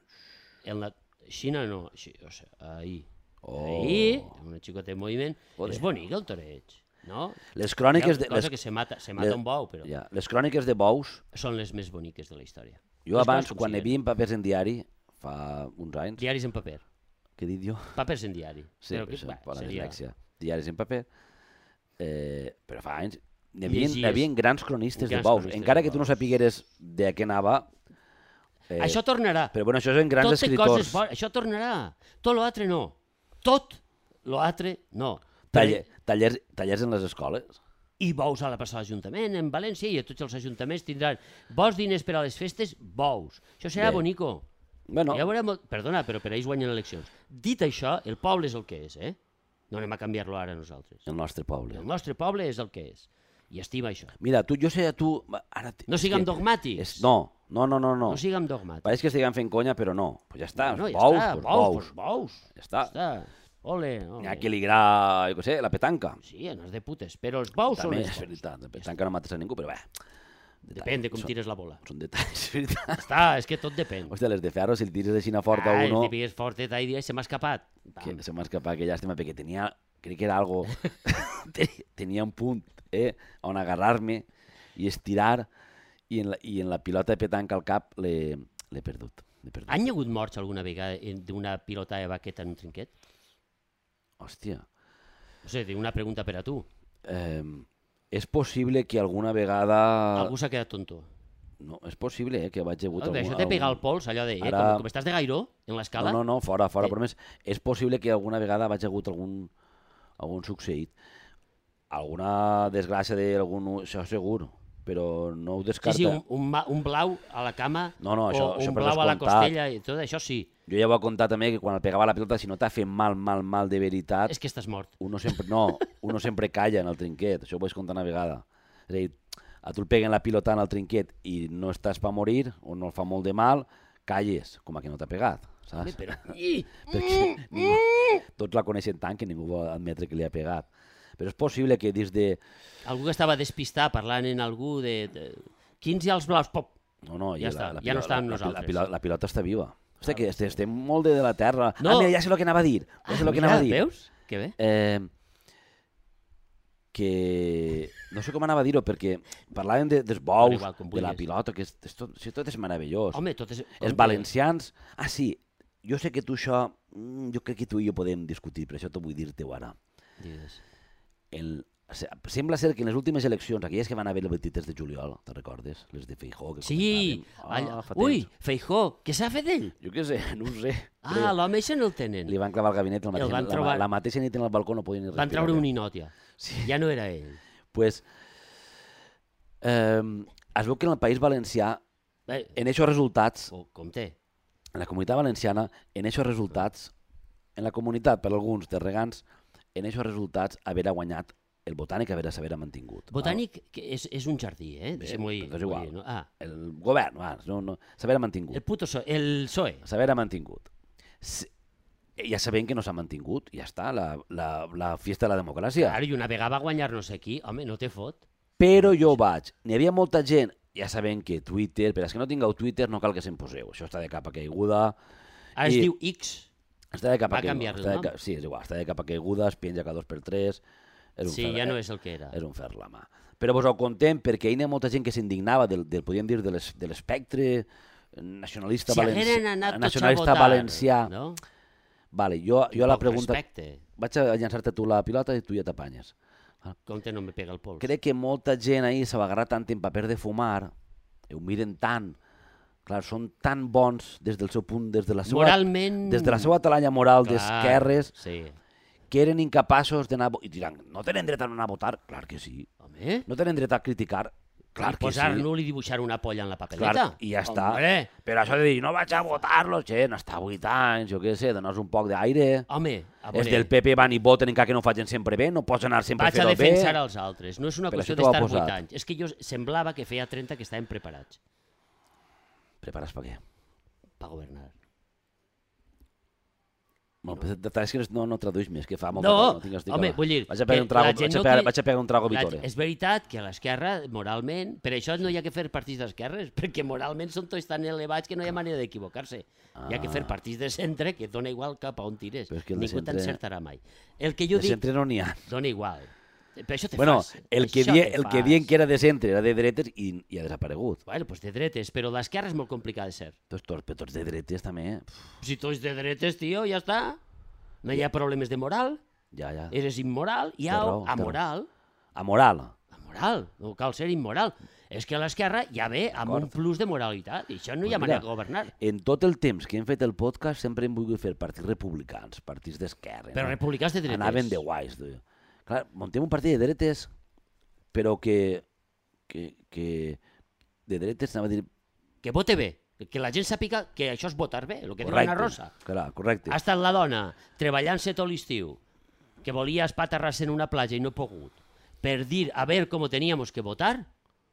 En la Xina no, així, o sigui, ahí. Oh. Ahí, una xicota en moviment. Joder. És bonic el toreig, no? Les cròniques de... Cosa Les, que se mata, se mata les- un bou, però ja, les cròniques de bous, són les més boniques de la història. jo Les abans, coses com quan hi siguen. havia papers en diari, fa uns anys, Diaris en paper. què he dit jo? Papers en diari. Sí, Però però que, això, va, per la seria... dislèxia. Diaris en paper, eh, però fa anys hi havia, Llegies. hi havia grans cronistes Grans de bous, cronistes encara de que tu no bous. sapigueres de què anava, eh, Això tornarà. però bueno, això és en grans Tot té escriptors. coses bones. Això tornarà. Tot l'altre no. Tot l'altre no. Taller, tallers, tallers en les escoles. I bous a la plaça de l'Ajuntament, en València, i a tots els ajuntaments tindran bons diners per a les festes, bous. Això serà Bé. bonico. Bueno, Ja veurem... Perdona, però per ells guanyen eleccions. Dit això, el poble és el que és, eh? No anem a canviar-lo ara nosaltres. el nostre poble. El nostre poble és el que és. I estima això. Mira, tu, jo sé, tu... Ara, t- No és siguem que dogmàtics. És, no, no, no, no. no. No siguem dogmàtics. Pareix que estiguem fent conya, però no. Pues ja està, No, ja bous, està, pues bous, bous. pues bous. Ja està. Ja està. Ole, ole. N'hi ha qui li agrada, jo què sé, la petanca. Sí, no és de putes, però els bous són També els és bous. veritat, la petanca no mates a ningú, però bé. Depèn de com Són- tires la bola. Són detalls, és veritat. Està, és que tot depèn. Hòstia, les de ferro, si el tires així fort a Ah, uno, el típic és fortet ahí i se m'ha escapat. que se m'ha escapat, que llàstima, perquè tenia, crec que era algo, Te- tenia un punt, eh, on agarrar-me i estirar, i en la, i en la pilota de petanca al cap l'he l'he perdut. L'he perdut. Han hi hagut morts alguna vegada en- d'una pilota de baqueta en un trinquet? Hòstia. No sé, una pregunta per a tu. Eh, és possible que alguna vegada... Algú s'ha quedat tonto. No, és possible eh, que vaig hagut... Algú, algun- això te pega al algun- pols, allò de... Eh, Ara- com, com estàs de gairó, en l'escala? No, no, no, fora, fora, Eh. però més, és possible que alguna vegada vaig hagut algun, algun succeït. Alguna desgràcia d'algun... Això segur. però no ho Sí, descarta. sí, un, un, ma- un blau a la cama No, no, això- o això un per blau a la descomptat. costella i tot això sí. Jo ja ho he contat també, que quan el pegava la pilota, si no t'ha fet mal, mal, mal de veritat, És que estàs mort. uno sempre, no, uno sempre calla en el trinquet, això ho vaig contar una vegada. És a dir, a tu el peguen la pilota en el trinquet i no estàs per morir, o no el fa molt de mal, calles, com a que no t'ha pegat, Home, saps? però... I, Perquè ningú, tots la coneixen tant que ningú vol admetre que li ha pegat. Però és possible que des de... algú que estava despistat parlant en algú de... de... Quins i els blaus? Pop! No, no, Ja i està, la, la, ja no pilota- està amb la, la, nosaltres. la, pilota, la pilota està viva. Hosti, que estem, estem molt de, de la terra. No. Ah, mira, ja sé el que anava a dir. Ja sé el que mira, anava a dir. veus? Que bé. Eh, que no sé com anava a dir-ho, perquè parlàvem de, dels Bueno, bous, igual, com de la vulguis. pilota, que és, és tot, si tot és meravellós. Home, tot és... com Els que- valencians... Ah, sí, jo sé que tu això... mm, Jo crec que tu i jo podem discutir, però això t'ho vull dir-te ara. Digues. El, se- sembla ser que en les últimes eleccions, aquelles que van haver el vint-i-tres de juliol, te'n recordes? Les de Feijó, que Sí! comentàvem. Allà... fa Ui, temps. Feijó, què s'ha fet d'ell? Jo què sé, no ho sé. Ah, l'home això no el tenen. Li van clavar el gabinet, el mateix, van la, trobar- la mateixa nit en el balcó no podien ni respirar. Van treure bé. un ninot ja. Sí. Ja no era ell. Pues, eh, es veu que en el País Valencià, Bé, en aquests resultats, co- compte. en la comunitat valenciana, en aquests resultats, en la comunitat, per alguns, de regants, en aquests resultats, haver guanyat el Botànic, haver s'haver mantingut. Botànic que és, és un jardí, eh? Bé, Deixem-ho dir. però és igual. dir, no? Ah, Val? El govern, va, no, no, s'haver mantingut. el puto so el P S O E. S'haver mantingut. S- Ja sabem que no s'ha mantingut, ja està, la, la, la fiesta de la democràcia. Claro, i una vegada va guanyar no sé qui, home, no té fot. Però jo vaig, n'hi havia molta gent, ja sabem que Twitter, per als que no tingueu Twitter no cal que se'n poseu, això està de capa caiguda. Ara es I- diu X. Està de capa Va caiguda. canviar-li està el de ca- nom? Sí, és igual, està de capa caiguda, es penja cada dos per tres. És un Sí, fer, ja no és el que era. És un fer la mà. Però vos ho contem perquè hi ha molta gent que s'indignava del, del, podríem dir, de l'es- de l'espectre nacionalista, Si valenci... hagueren anat tots a nacionalista votar, valencià. no? Vale, jo, jo la Poc pregunta... respecte. Vaig a llançar-te tu la pilota i tu ja t'apanyes. Compte, no me pega el pols. Crec que molta gent ahir s'ha agarrat tant en paper de fumar, i ho miren tant, clar, són tan bons des del seu punt, des de la seva, Moralment... des de la seva talanya moral Clar, d'esquerres, Sí. que eren incapaços d'anar... a vo- I diran, no tenen dret a no anar a votar? Clar que sí. Home, No tenen dret a criticar? Clar i que sí. posar-lo i dibuixar una polla en la papeleta. Clar, i ja està. Hombre, Però això de dir, no vaig a votar-lo, gent, està vuit anys, jo què sé, donar un poc d'aire. home, a Els veure, del P P van i voten encara que no ho facin sempre bé, no pots anar sempre vaig a a fer-ho bé. defensar els altres. No és una Però qüestió això t'ho ha d'estar posat. vuit anys. És que jo semblava que feia trenta que estàvem preparats Prepares per què? per governar. Bueno, no. És que no, no tradueix més, que fa molt No, no tinc estic home, ara. vull dir... Vaig a pegar que un trago, la gent vaig a no pegar, té- vaig a pegar un trago La- Vitore. És veritat que a l'esquerra, moralment, per això no hi ha que fer partits d'esquerres, perquè moralment són tots tan elevats que no hi ha manera d'equivocar-se. Ah. Hi ha que fer partits de centre, que dona igual cap a on tires. Però és que el de Ningú centre- t'encertarà mai. El que jo De dic, centre no n'hi ha. dona igual. Per això te Bueno, fas. el que, això die, te el que fas. dien que era de centre era de dretes i, i ha desaparegut. Bueno, pues de dretes, però l'esquerra és molt complicat de ser. Tots, tots, però tots de dretes també. Pff, Si tu ets de dretes, tio, ja està. No hi ha problemes de moral, ja, ja. eres immoral, i Té raó, au, té raó. amoral. Amoral. Amoral, no cal ser immoral. És que l'esquerra ja ve amb un plus de moralitat, i això no hi ha Pues manera mira, de governar. En tot el temps que hem fet el podcast sempre hem volgut fer partits republicans, partits d'esquerra. Però no? republicans de dretes. Anaven de guais. Tu. Clar, muntem un partit de dretes, però que, que, que de dretes anava a dir... Que vote bé, que la gent sàpiga que això és votar bé, el que diu Correcte, Ana Rosa. clar, correcte. Ha estat la dona treballant-se tot l'estiu, que volia espaterrar-se en una platja i no ha pogut, per dir a veure com teníamos que votar,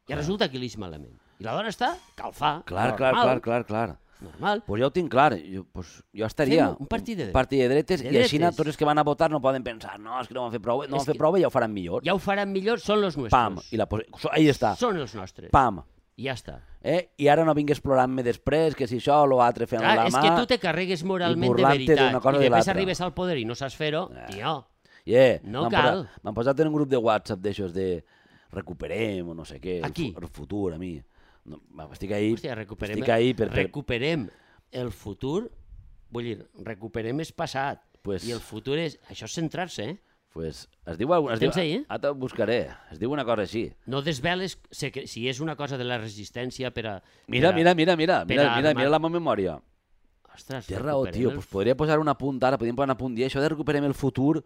i resulta que li és malament. I la dona està calfà, Clar, clar, normal, clar, clar, clar. normal. Pues ja ho tinc clar, jo, pues, jo estaria... Fem un partit de- un partit de dretes, de i així dretes. tots els que van a votar no poden pensar no, és que no ho han fet prou bé, no ho És han fet que- prou bé, ja ho faran millor. Ja ho faran millor, són els nostres. Pam, i la pos... ahí està, Són els nostres. pam. I ja està. Eh? I ara no vingues plorant-me després, que si això o l'altre fent Clar, la és mà... que tu te carregues moralment de burlant-te veritat d'una cosa i de després l'altra. arribes al poder i no saps fer-ho, tio, Yeah, No m'han cal. posat- M'han posat en un grup de WhatsApp d'aixòs de recuperem o no sé què, el, Aquí? fu- el futur, a mi. No, va, estic ahí, hòstia, recuperem, estic ahí per... per recuperem el futur, vull dir, recuperem el passat, Pues- i el futur és, això és centrar-se, eh? pues, es diu, es diu, Tens ahí, eh? ara te'l buscaré, es diu una cosa així. No desveles sé que, si és una cosa de la resistència per a... Mira, per a- mira, mira, mira, per mira, a mira, armar- mira la meva memòria. Ostres, Té raó, recuperem tio, el pues podria posar un apunt ara, podríem posar un apunt i això de recuperem el futur,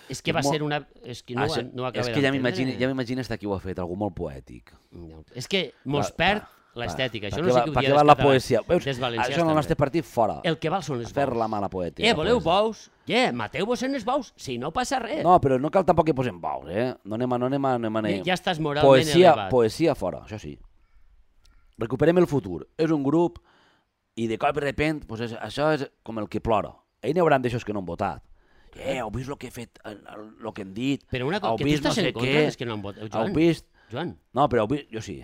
És que va molt... ser una... És que no, Això, no ho acaba és que ja d'entendre. m'imagino ja m'imagino hasta qui ho ha fet, algú molt poètic. No. És que mos Va, perd va, l'estètica. va. Això Per no què sé va- què ho per dia què va dels la catalans. poesia? Veus, Dels valencians això en el també. nostre partit, fora. El que val són els Fer bous. la mala poesia. Eh, voleu bous? Yeah, mateu-vos en els bous, si no passa res. No, però no cal tampoc que posem bous, eh? No anem a... No anem a, no anem a Ja, ja estàs moralment poesia, elevat. poesia fora, això sí. Recuperem el futur. És un grup i de cop i repent, pues és, això és com el que plora. Ells n'hi hauran d'aixòs que no han votat. Eh, heu vist el que he fet, el, el, el que hem dit? Però una cosa, heu que tu vist estàs no sé en contra què? dels que no han votat. Heu Joan, vist? Joan, No, però heu vist... Jo sí.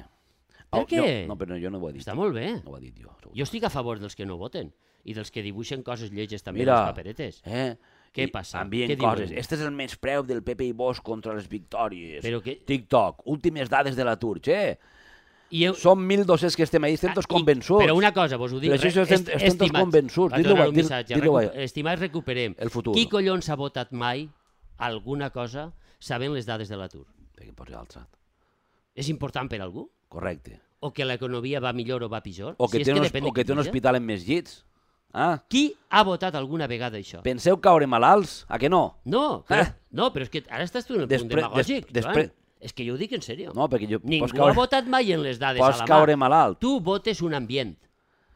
Per Heu- què? Jo, no, però jo no ho he dit. està molt bé. No ho he dit jo. Jo estic a favor dels que no voten i dels que dibuixen coses lleges també Mira, a les paperetes. Eh? Què I passa? Envien Què diuen? coses. Este és el menyspreu del Pepe i Bosch contra les victòries. Però que... TikTok, últimes dades de l'atur. Che, I eu... som mil dos-cents que estem ahí, estem tots Ah, i- convençuts. Però una cosa, vos ho dic. Però això re- estem- estem tots estimats, convençuts. vaig Dilo, donar un dil- missatge. dilo, recu- eh. Estimats, recuperem. El futur. Qui collons ha votat mai alguna cosa sabent les dades de l'atur? Perquè pots alçat. És important per a algú? Correcte. O que l'economia va millor o va pitjor? O que, si és té, un, depèn de o que qui té un mira. hospital amb més llits. Ah, Qui ha votat alguna vegada això? penseu caure malalts? A que no? No, però, Ah. no, però és que ara estàs tu en el punt Despre- demagògic, des- Joan. despre- És que jo ho dic en sèrio. No, perquè jo... Ningú pots caure, ha votat mai en les dades a pots la mà. caure malalt. Tu votes un ambient.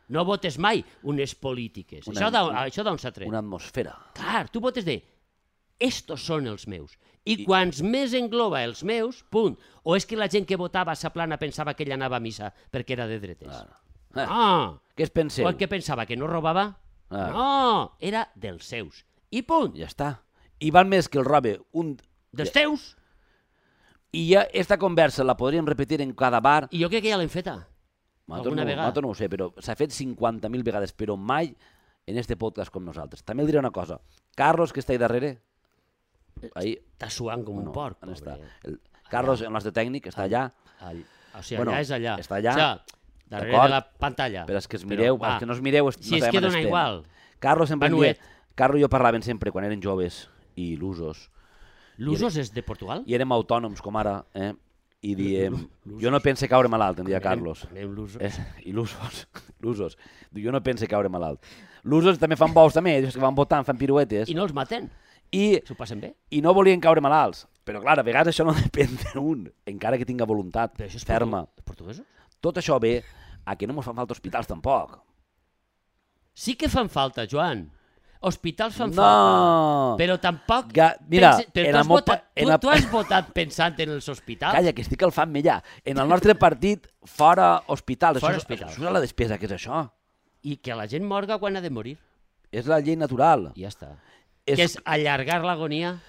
No votes mai unes polítiques. Una- Això d'on això d'on s'ha tret? Una atmosfera. Clar, tu votes de estos són els meus. I, I quants més engloba els meus, punt. O és que la gent que votava a sa plana pensava que ell anava a missa perquè era de dretes. Claro. Ah, Què es penseu? o el que pensava que no robava? Ah. No, era dels seus. I punt. Ja està. I val més que el robe un... Dels teus. I ja esta conversa la podríem repetir en cada bar. I jo crec que ja l'hem feta. Nosaltres Alguna no, vegada. nosaltres no ho sé, però s'ha fet cinquanta mil vegades, però mai en este podcast com nosaltres. També el diré una cosa. Carlos, que està ahí darrere, ahí, Està suant com un no, porc. on està? pobre. El Carlos, el nostre tècnic, està allà, All... O sigui, Bueno, allà és allà. està allà, O sigui, darrere d'acord? de la pantalla. però és que es mireu, va, els que no es mireu, es- si no és sabem que on dona estem. igual. Carlos sempre em Manuet. deia, Carlos i jo parlaven sempre quan eren joves i il·lusos, L'Usos és de Portugal? i érem autònoms com ara, eh? I diem, jo no pense caure malalt, em deia Carlos. Anem l'Usos. Eh, il·lusos, il·lusos. Jo no pense caure malalt. L'usos també fan bous, també, és que van votant, fan piruetes, I no els maten? i, S'ho passen bé? i no volien caure malalts. Però clar, a vegades això no depèn d'un, encara que tinga voluntat Però això és ferma. portu- portuguesos? Tot això ve a que no ens fan falta hospitals tampoc. Sí que fan falta, Joan. Hospitals fan No. falta. Però tampoc... Ga- mira, pense- però en tu, has el meu votat, pa- en tu, el- tu has votat pensant en els hospitals? Calla, que estic al fam ja. En el nostre partit, fora hospitals. Fora això, és- hospitals. això és la despesa, que és això? I que la gent morga quan ha de morir. És la llei natural. I ja està. És, Que és allargar l'agonia.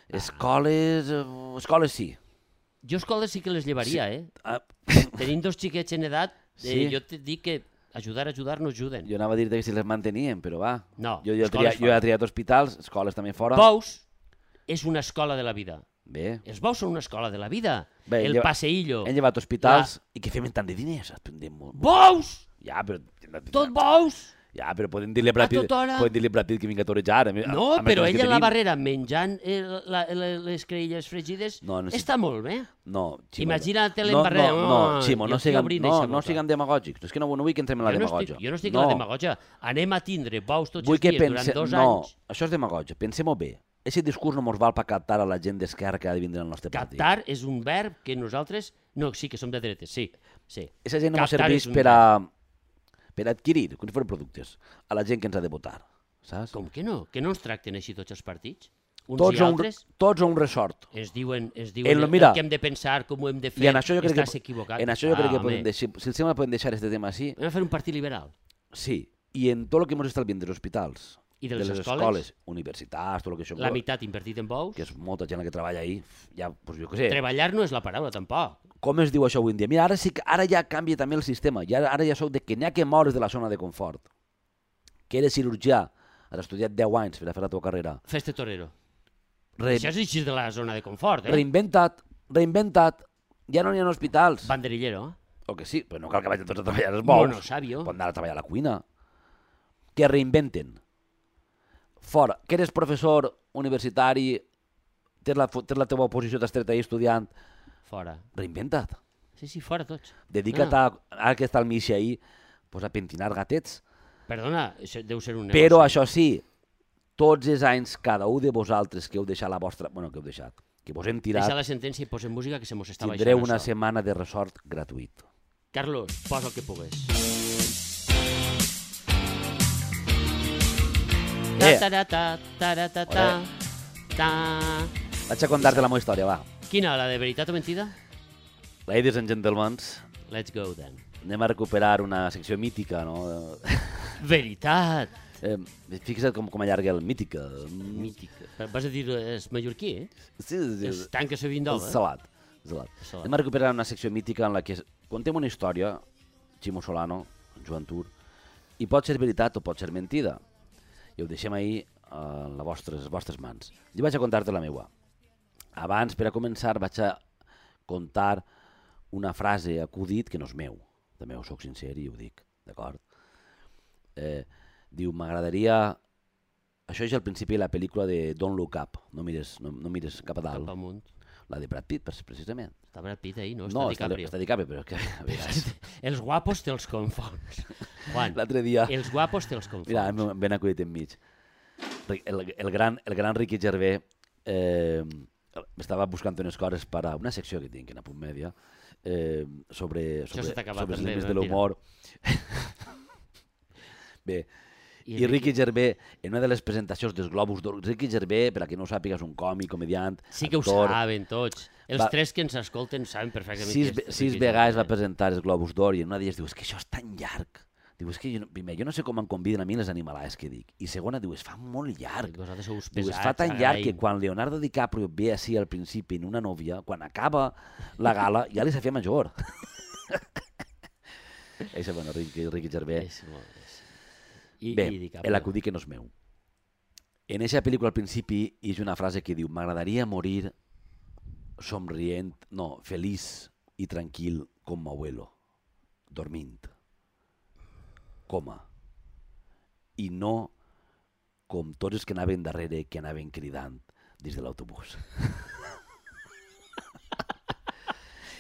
Escoles... eh, Escoles sí. Jo escoles sí que les llevaria, eh? Ah, Tenint dos xiquets en edat, eh, Sí. jo te dic que ajudar, ajudar no ajuden. jo anava a dir que si les manteníem, però va. No, Jo, jo, he escoles triat, jo he fora. triat hospitals, escoles també fora. Bous és una escola de la vida. Bé, Els bous són una escola de la vida. Bé, El lleva- passeillo. hem llevat hospitals i que fem tant de diners. Prendem molt. Bous! Ja, però... Tot bous! Ja, però podem dir-li a Brad Pitt, tota hora. podem dir-li a Brad Pitt que vinga a torejar. A, mi- No, a, a més però dels que ella a la tenim. barrera menjant eh, la, la, les creïlles fregides No, no sé- està molt bé. No, Ximo, Imagina't-la en no, barrera. No, no, Oh, Ximo, jo no estic siguem, obrint no, eixa no boca. siguem demagògics. És que no, no vull que entrem en la Jo no, demagògia. estic, jo no estic no. a la demagogia. Anem a tindre bous tots Vull els que dies pense... durant dos no, anys. això és demagògia. Pensem-ho bé. Aquest discurs no mos val per captar a la gent d'esquerra que ha de vindre al nostre partit. Captar és un verb que nosaltres... No, sí, que som de dretes, sí. sí. Aquesta gent no mos Captar serveix és un per a, per adquirir, com si fossin productes, a la gent que ens ha de votar. Saps? Com que no? Que no ens tracten així tots els partits? Uns Tots i a, un, altres tots a un resort. ens diuen, ens diuen En lo- el, mira, el que hem de pensar, com ho hem de fer, I en això jo crec estàs que, equivocat. en això jo crec que Ah, podem home, deixar, si el sembla podem deixar este tema així, Hem de fer un partit liberal. sí, i en tot el que ens està vient dels hospitals, I de de les les escoles, escoles, universitats, tot el que això la meitat invertit en bous. que és molta gent la que treballa ahí, ja, doncs jo què sé, Treballar no és la paraula, tampoc. com es diu això avui en dia? Mira, ara sí que ara ja canvia també el sistema, ja, ara ja sou de que n'hi ha que moure's de la zona de confort, que eres cirurgià, has estudiat deu anys per a fer la teva carrera, Fes-te torero. Re, Això és així de la zona de confort, eh? reinventa't, reinventa't, ja no n'hi ha hospitals, Banderillero. o que sí, però no cal que vagin tots a treballar als bous, Monosabio. poden anar a treballar a la cuina, que reinventen, fora, que eres professor universitari, tens la, tens la teva posició d'estreta ahí estudiant, Fora. reinventa't. Sí, sí, fora tots. Dedica't Ah. a, ara que està el Misha ahí, pues a pentinar gatets. Perdona, això deu ser un negoci. Però això sí, tots els anys, cada un de vosaltres que heu deixat la vostra... Bueno, que heu deixat, que vos hem tirat, Deixa la sentència i posem música que se mos està tindreu baixant una això. setmana de resort gratuït. Carlos, posa el que pugues. Eh. Ta ta ta ta ta ta ta ta. Vaig a contar-te la meva història, va. Quina, la de veritat o mentida? Ladies and gentlemen, Let's go, then. anem a recuperar una secció mítica, no? Veritat! Eh, fixa't com, com allarga el mítica. Mític. Vas a dir, és mallorquí, eh? Sí, sí, És tant que se vin el d'home. salat. salat. Salat. Anem a recuperar una secció mítica en la que contem una història, Ximo Solano, Joan Tur, i pot ser veritat o pot ser mentida. I ho deixem ahir a les vostres, les vostres mans. Jo vaig a contar-te la meua. Abans, per a començar, vaig a contar una frase acudit que no és meu. També ho soc sincer i ho dic, d'acord? Eh, diu, m'agradaria... Això és al principi de la pel·lícula de Don't Look Up, no mires, no, no mires cap a dalt. Cap amunt. La de Brad Pitt, precisament. Està Brad Pitt ahí, no? No, Està està, DiCaprio. està DiCaprio, però que, a vegades... Els guapos te'ls confons. Juan, L'altre dia... els guapos te'ls confons. Mira, em- ben acudit enmig. El, el, gran, el gran Ricky Gervais eh, estava buscant unes coses per a una secció que tinc en Apunt Mèdia eh, sobre, Això sobre, se t'ha acabat sobre els també, límits de mentira. l'humor. Bé, I i Ricky Gervais, en una de les presentacions dels Globus d'Or, Ricky Gervais, per a qui no ho sàpiga, és un còmic, comediant, Sí que ho actor. saben tots. Els Va- tres que ens escolten saben perfectament Sis, qui és sis Ricky vegades va Gervais. presentar els Globus d'Or i en una d'elles diu, és que això és tan llarg. Diu, és que jo, no- primer, jo no sé com em conviden a mi les animalades que dic. I segona, diu, es fa molt llarg. Vosaltres sou uns Diu, es pesats, fa tan llarg que agraïm. quan Leonardo DiCaprio ve així al principi en una nòvia, quan acaba la gala, ja li s'ha fet major. Això, bueno, Ricky, Ricky Gervais. És molt- és- I, Bé, i DiCaprio. l'acudit que no és meu. En aquesta pel·lícula al principi hi ha una frase que diu, m'agradaria morir somrient, no, feliç i tranquil com m'abuelo, dormint, coma, i no com tots els que anaven darrere, que anaven cridant des de l'autobús.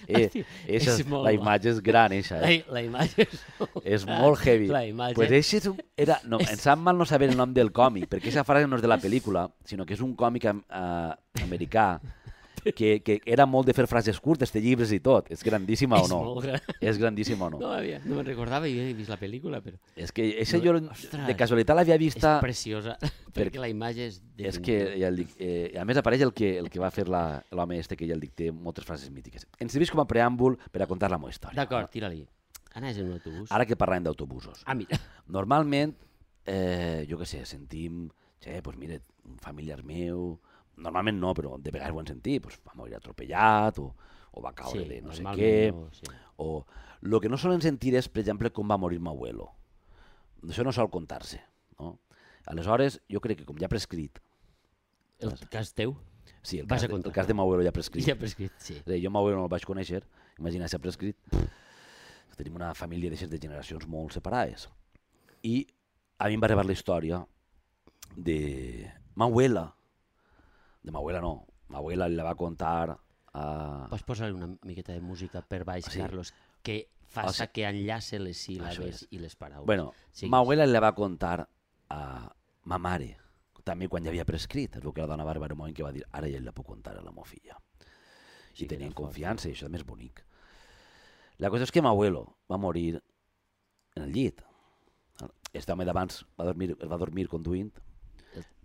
eh, Hòstia, eixa, és molt la bo. imatge és gran, eixa, La, eh? la imatge és molt, És molt heavy. La imatge... Pues eixe és un, era, no, em sap mal no saber el nom del còmic, perquè aquesta frase no és de la pel·lícula, sinó que és un còmic am, uh, americà que, que era molt de fer frases curtes, de llibres i tot. És grandíssima o és no? molt gran. És grandíssima o no? No, havia, no me'n recordava i he vist la pel·lícula, però És que eixa No, jo ostres. de casualitat l'havia és vista... preciosa, perquè la imatge és... És que, ja el dic, eh, a més apareix el que, el que va fer la- l'home este, que ja el dic, té moltes frases mítiques. Ens serveix com a preàmbul per a contar la meva història. D'acord, tira-li. Anaves en un autobús? Ara que parlem d'autobusos. Ah, mira. Normalment, eh, jo què sé, sentim, che, pues mira, un familiar meu, normalment no, però de vegades ho hem sentit, pues, va morir atropellat o, o va caure de no sé què. No, sí. O el que no solen sentir és, per exemple, com va morir m'abuelo. Això no sol contar-se. No? Aleshores, jo crec que com ja ha prescrit, El cas teu? sí, el Vas cas, a de, contar. el cas de m'abuelo ja ha prescrit. Ja ha prescrit, sí. És a dir, jo m'abuelo no el vaig conèixer, imagina si ha prescrit. Tenim una família d'aixes de generacions molt separades. I a mi em va arribar la història de m'abuela. De m'abuela no, m'abuela la va contar a... Pots posar una miqueta de música per baix, Sí. Carlos, que Ah, faça sí. que enllace les Això síl·labes és. i les paraules. Bueno, Siguis. m'abuela la va contar a ma mare, també quan ja havia prescrit. És el que la dona va arribar un moment que va dir, ara ja la puc contar a la meva filla. Sí I que tenien era fort. confiança i això també és bonic. La cosa és que m'abuelo va morir en el llit. Este home d'abans va dormir, va dormir conduint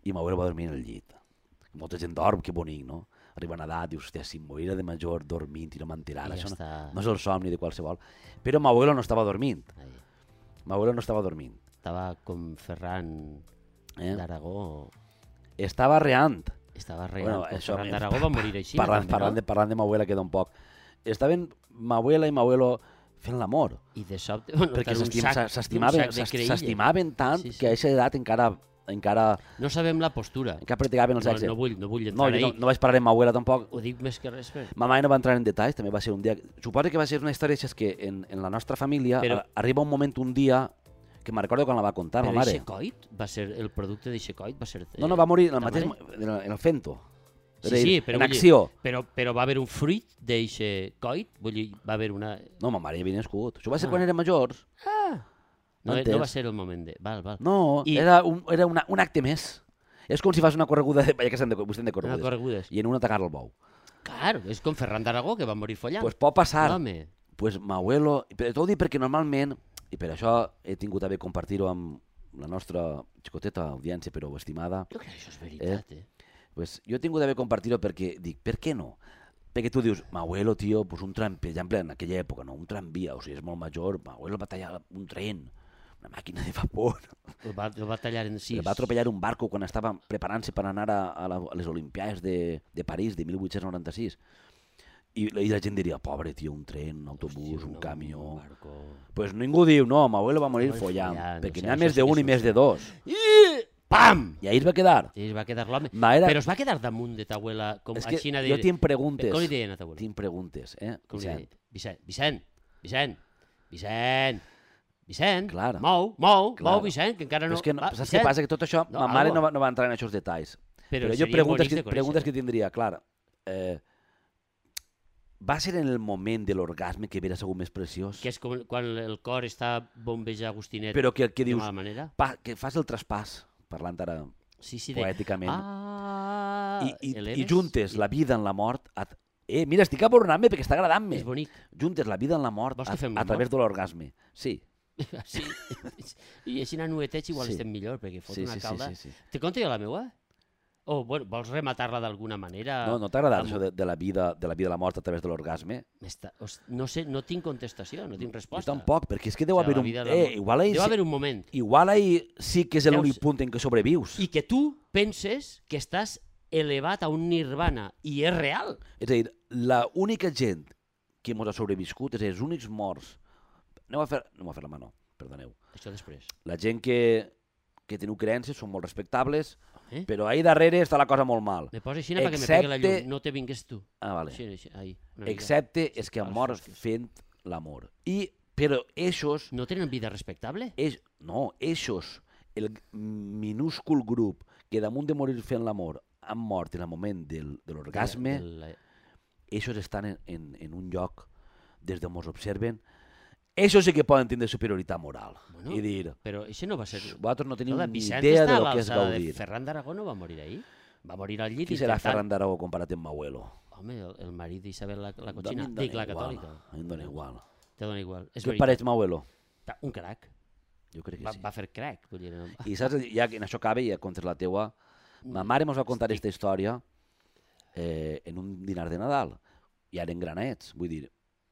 i m'abuelo va dormir en el llit. Molta gent dorm, que bonic, no? Arriba una edat, dius, hòstia, si em morirà de major dormint i no m'enterara, I ja això no, està. no és el somni de qualsevol. Però m'abuelo no estava dormint. Ai, M'abuelo no estava dormint. estava com Ferran Eh? d'Aragó. Estava reant. Estava reant. Bueno, Bueno, això, Ferran eh, d'Aragó va morir així. Parlant, també, parlant, no? de, parlant de m'abuela queda un poc. Estaven m'abuela i m'abuelo fent l'amor. I de sobte... Bueno, Perquè tant un s'estim- sac- s'a- un s'estimaven sac de s'est- creïlla. s'estimaven tant Sí, sí. que a aquesta edat encara encara, No sabem la postura. encara practicaven el No, sexe. no vull, no vull No, entrar jo ahí. no, no vaig parlar amb m'abuela tampoc. Ho dic més que res per... Ma mare no va entrar en detalls, també va ser un dia... Suposo que va ser una història així, és que en, en la nostra família Però- Però... arriba un moment, un dia, que me'n recordo quan la va contar, Però ma mare. eixe coit va ser... El producte d'eixe coit va ser... No, no, va morir en el ta mateix... mare? En el, en el fento. És Sí, a dir, sí, però en vull dir- acció. Però, però va haver un fruit d'eixe coit? Vull dir, va haver una... No, ma mare ja havia nascut. Això va ser Ah. quan eren majors. No, Entens? no va ser el moment de... Val, val. No, I- era, un, era una, un acte més. És com si fas una correguda, de... que estem de, vostè de Una corregudes, corregudes. i en una atacar el bou. Clar, és com Ferran d'Aragó, que va morir follant. Pues pot passar. Home, Pues m'abuelo... Però t'ho dic perquè normalment, i per això he tingut a bé compartir-ho amb la nostra xicoteta audiència, però estimada, jo crec que això és veritat, eh? pues jo he tingut a bé compartir-ho perquè dic, per què no? Perquè tu dius, m'abuelo, tio, pues un tram, per exemple, en aquella època, no, un tramvia, o sigui, és molt major, m'abuelo va tallar un tren, una màquina de vapor. El va, el va tallar en sis. El va atropellar un barco quan estava preparant-se per anar a, a, la, a les Olimpiades de, de París de mil vuit-cents noranta-sis. I, I la gent diria, pobre tio, un tren, un autobús, Hòstia, un no, camió... un barco. Pues ningú diu, no, m'abuelo va morir Va morir follant, follant, perquè o sigui, n'hi ha això més sí que d'un és i més un de dos. I... Pam! I ahir es va quedar. Sí, es va quedar l'home. Ma, era... Però es va quedar damunt de ta abuela, com És que així de... jo tinc preguntes. Com li deien a ta abuela? Tinc preguntes, eh? Com li Vicent. deien? Vicent, Vicent, Vicent, Vicent, Vicent, Clar. mou, mou, Clar. mou, Vicent, que encara Però no... és que, no, Va, saps Vicent. què passa? Que tot això, No, ma mare algo. no va, no va entrar en aquests detalls. Però, Però jo seria preguntes, bonic que, de conèixer. preguntes que tindria, clar, eh, va ser en el moment de l'orgasme que hauria sigut més preciós? Que és com quan el cor està bombeja Agostinet Però que, que de dius, mala manera. pa, que fas el traspàs, parlant ara Sí, sí, de... poèticament, Ah, i, i, el i Eres. juntes la vida en la mort... A... Eh, mira, estic abornant-me perquè està agradant-me. És bonic. Juntes la vida en la mort Vols a, que fem a través de l'orgasme. Sí. Sí. I així anar nuetets igual Sí. estem millor, perquè fot Sí, una sí, sí, calda. sí, sí. Te conto jo la meua? O, bueno, vols rematar-la d'alguna manera? No, no t'ha agradat Amb- això de, de, la vida, de la vida i la mort a través de l'orgasme? M'està- os- No sé, no tinc contestació, no tinc Jo resposta. tampoc, perquè és que deu O sigui, haver la un... vida de la Eh, mort. igual ahir, Deu sí, haver un moment. igual ahir sí que és l'únic Deus- punt en què sobrevius. I que tu penses que estàs elevat a un nirvana, i és real. És a dir, l'única gent que ens ha sobreviscut, és a dir, els únics morts... Aneu a fer, aneu a fer la mà, no, perdoneu. Això després. La gent que, que teniu creences són molt respectables, Eh? però ahí darrere està la cosa molt mal. Me posa així perquè me pegui la Excepte- llum. No te vingues tu. Ah, vale. Així, així, ahí, una mica. Excepte és que han als mort foscos. fent l'amor. I, però eixos, No tenen vida respectable? eix, no, eixos, el minúscul grup que damunt de morir fent l'amor han mort en el moment del, de l'orgasme, De la- eixos estan en, en, en un lloc des d'on ens observen, eixos sí que poden tindre superioritat moral. Bueno, I dir, Però això no va ser... vosaltres no teniu Escolta, ni Vicent idea està de a lo que és l'alçada de gaudir. Ferran d'Aragó no va morir ahir. Va morir al llit Qui serà intentant... Ferran d'Aragó comparat amb m'abuelo? Home, el, el marit d'Isabel la, la A mi cochina. em Dic, dona la igual, catòlica. a mi em dona igual. Te dona igual. És Què et veritat. pareix m'abuelo? Un crac. Jo crec que Va, sí. va fer crac. Vull dir, no... I saps, ja que en això acaba i ja contes la teua, ma mare ens va contar aquesta història eh, en un dinar de Nadal. I eren granets, vull dir,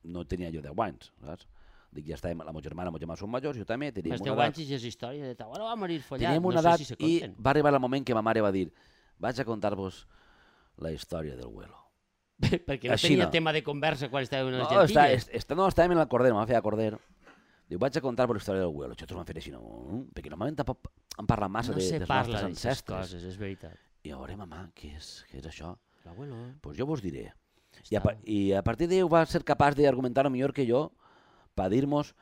no tenia jo deu anys, saps? Dic, ja estàvem, la meva germana, la meva germana són majors, jo també, teníem Els una deu edat, anys i és història de ta abuela va morir follat. teníem una no edat sé si se i compten. va arribar el moment que ma mare va dir, vaig a contar-vos la història del abuelo. Perquè no Així tenia no. tema de conversa quan estàvem en No, les està, gentilles. est, est, no, estàvem en el Corder, em va fer a Corder. Diu, vaig a contar-vos la història del abuelo. Nosaltres vam fer així, no? Perquè normalment tampoc han parlat massa No de, se dels parla nostres d'aquestes ancestres. coses, és veritat. I a veure, mamà, què és, què és això? L'abuelo... Doncs pues jo vos diré. I a, està- pa- I a partir d'ell va ser capaç d'argumentar-ho millor que jo per dir-nos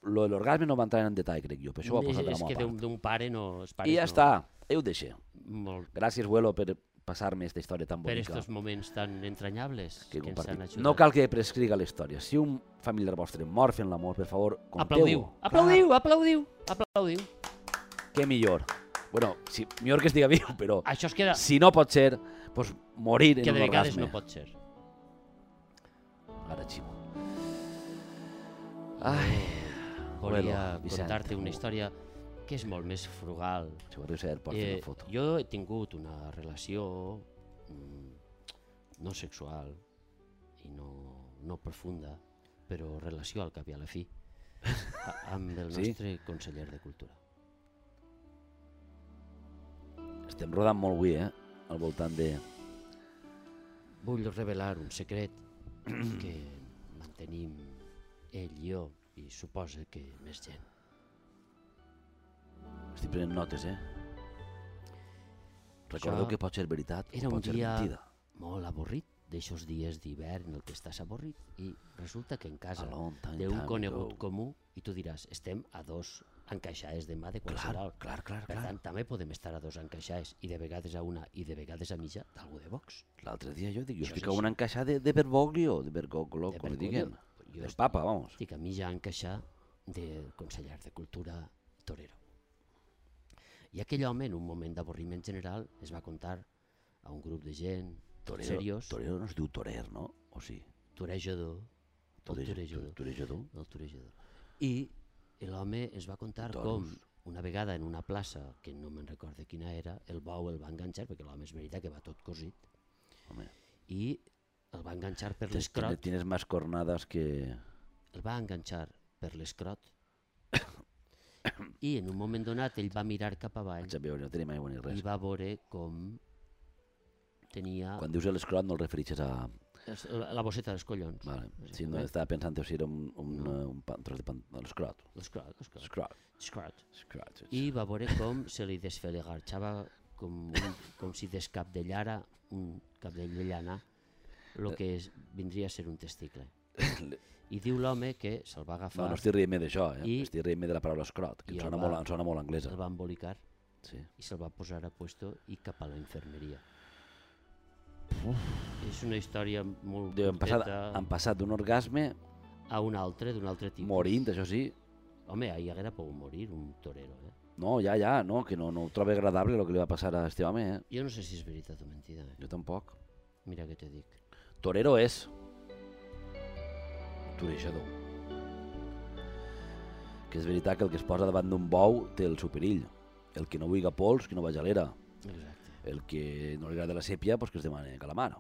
lo de l'orgasme no va entrar en detall, crec jo, per això ho ha posat de la és que meva d'un part. d'un pare no... Els pares I ja no, està, ell ho deixa. Molt, Gràcies, abuelo, per passar-me aquesta història tan per bonica estos moments tan entranyables que he que ens han compartit. ajudat. No cal que prescriga la història. Si un familiar vostre mor fent l'amor, per favor, Aplaudiu, conteu-ho. aplaudiu, aplaudiu, aplaudiu. Clar, què millor. Bueno, si, millor que estiga viu, però Això es queda... si no pot ser, pues, morir en que un de vegades orgasme. no pot ser. Ara ximo. Ai, Volia Abuelo, Vicent. contar-te una història que és molt més frugal. si vols ser, pots fer Eh, una foto. jo he tingut una relació mm, no sexual i no, no profunda, però relació al cap i a la fi, a, amb el Sí? nostre conseller de Cultura. Estem rodant molt avui, eh? Al voltant de... Vull revelar un secret que mantenim ell i jo i suposa que més gent. Estic prenent notes, eh? Recordeu Això que pot ser veritat Era o un pot ser dia mentida. molt avorrit, d'aixòs dies d'hivern en el que estàs avorrit i resulta que en casa A long time, d'un time conegut ago. comú i tu diràs, estem a dos encaixades de mà de Clar, qualsevol. clar, clar, Per clar. tant, també podem estar a dos encaixades i de vegades a una i de vegades a mitja d'algú de Vox. L'altre dia jo dic, jo Això estic és a una encaixada de, de Bergoglio, de Bergoglio, De com li Bergoglio. diguen. Jo Del estic- papa, vamos. Estic a mitja encaixar del conseller de Cultura Torero. I aquell home, en un moment d'avorriment general, es va contar a un grup de gent Torero, seriós, torero no es diu torer, no? O sí? torejador, el Toreja- torejador, Torejador? el torejador. I l'home es va contar Toros. com una vegada en una plaça, que no me'n recordo quina era, el bou el va enganxar, perquè l'home és veritat que va tot cosit, Home, i el va enganxar per tienes, l'escrot, tienes más cornadas que... el va enganxar per l'escrot, i en un moment donat ell va mirar cap avall Vaig a veure, no tenim aigua ni res. i va veure com tenia Quan dius l'escrot no el refereixes a... es- la bosseta dels collons. Vale. Sí, no, estava pensant si era un, un, No. un, pan, tros de pan... l'escrot. L'escrot, l'escrot, L'escrot. l'escrot. L'escrot, sí. I va veure com se li desfelegarxava com, un, com si descabdellara un cabdell de llana el que és, vindria a ser un testicle. I diu l'home que se'l va agafar, No, no estic rient d'això, eh? I- Estic rient de la paraula escrot, que i em el sona, va- molt, em sona molt anglesa. el va embolicar Sí. i se'l va posar a puesto i cap a la infermeria. És una història molt Diu, han passat, curteta han passat d'un orgasme a un altre, d'un altre tipus. morint, això sí. Home, ahir haguera pogut morir un torero, eh? No, ja, ja, no, que no, no ho trobo agradable el que li va passar a este home, eh? Jo no sé si és veritat o mentida, eh? Jo tampoc. Mira què te dic. Torero és. Torejador. Que és veritat que el que es posa davant d'un bou té el seu perill. El que no vulgui pols, que no vagi a l'era. Exacte. El que no li agrada la sèpia, pues que es demani calamar.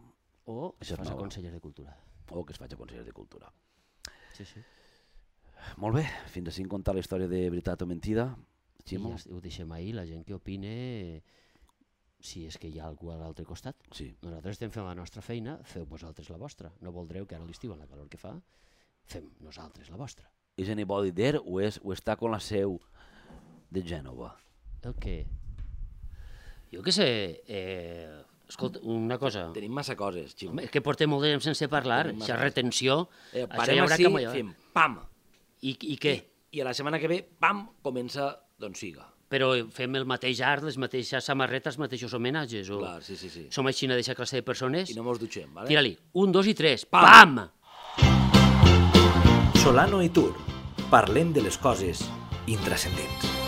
O Això es és fas a nou. conseller de cultura. O que es faci a conseller de cultura. Sí, sí. Molt bé, fins així contar la història de veritat o mentida. I Ximo? ja ho deixem ahir, la gent que opine, si és que hi ha algú a l'altre costat. Sí. Nosaltres estem fent la nostra feina, feu vosaltres la vostra. No voldreu que ara a l'estiu, amb la calor que fa, fem nosaltres la vostra. És anybody there o, és, o està con la seu de Gènova? El què? Jo què sé, eh, escolta, una cosa... Tenim massa coses, Ximo. Home, és que portem molt de temps sense parlar, Tenim aquesta massa- retenció, Eh, això hi parem haurà així, que... fem pam, I, I què? i a la setmana que ve, pam, comença Don Siga. Però fem el mateix art, les mateixes samarretes, els mateixos homenatges? O... Clar, sí, sí, sí. Som així d'aquesta classe de persones? I no mos dutxem, vale? Tira-li, un, dos i tres, Pam! pam! Solano i Tur. Parlem de les coses intrascendents.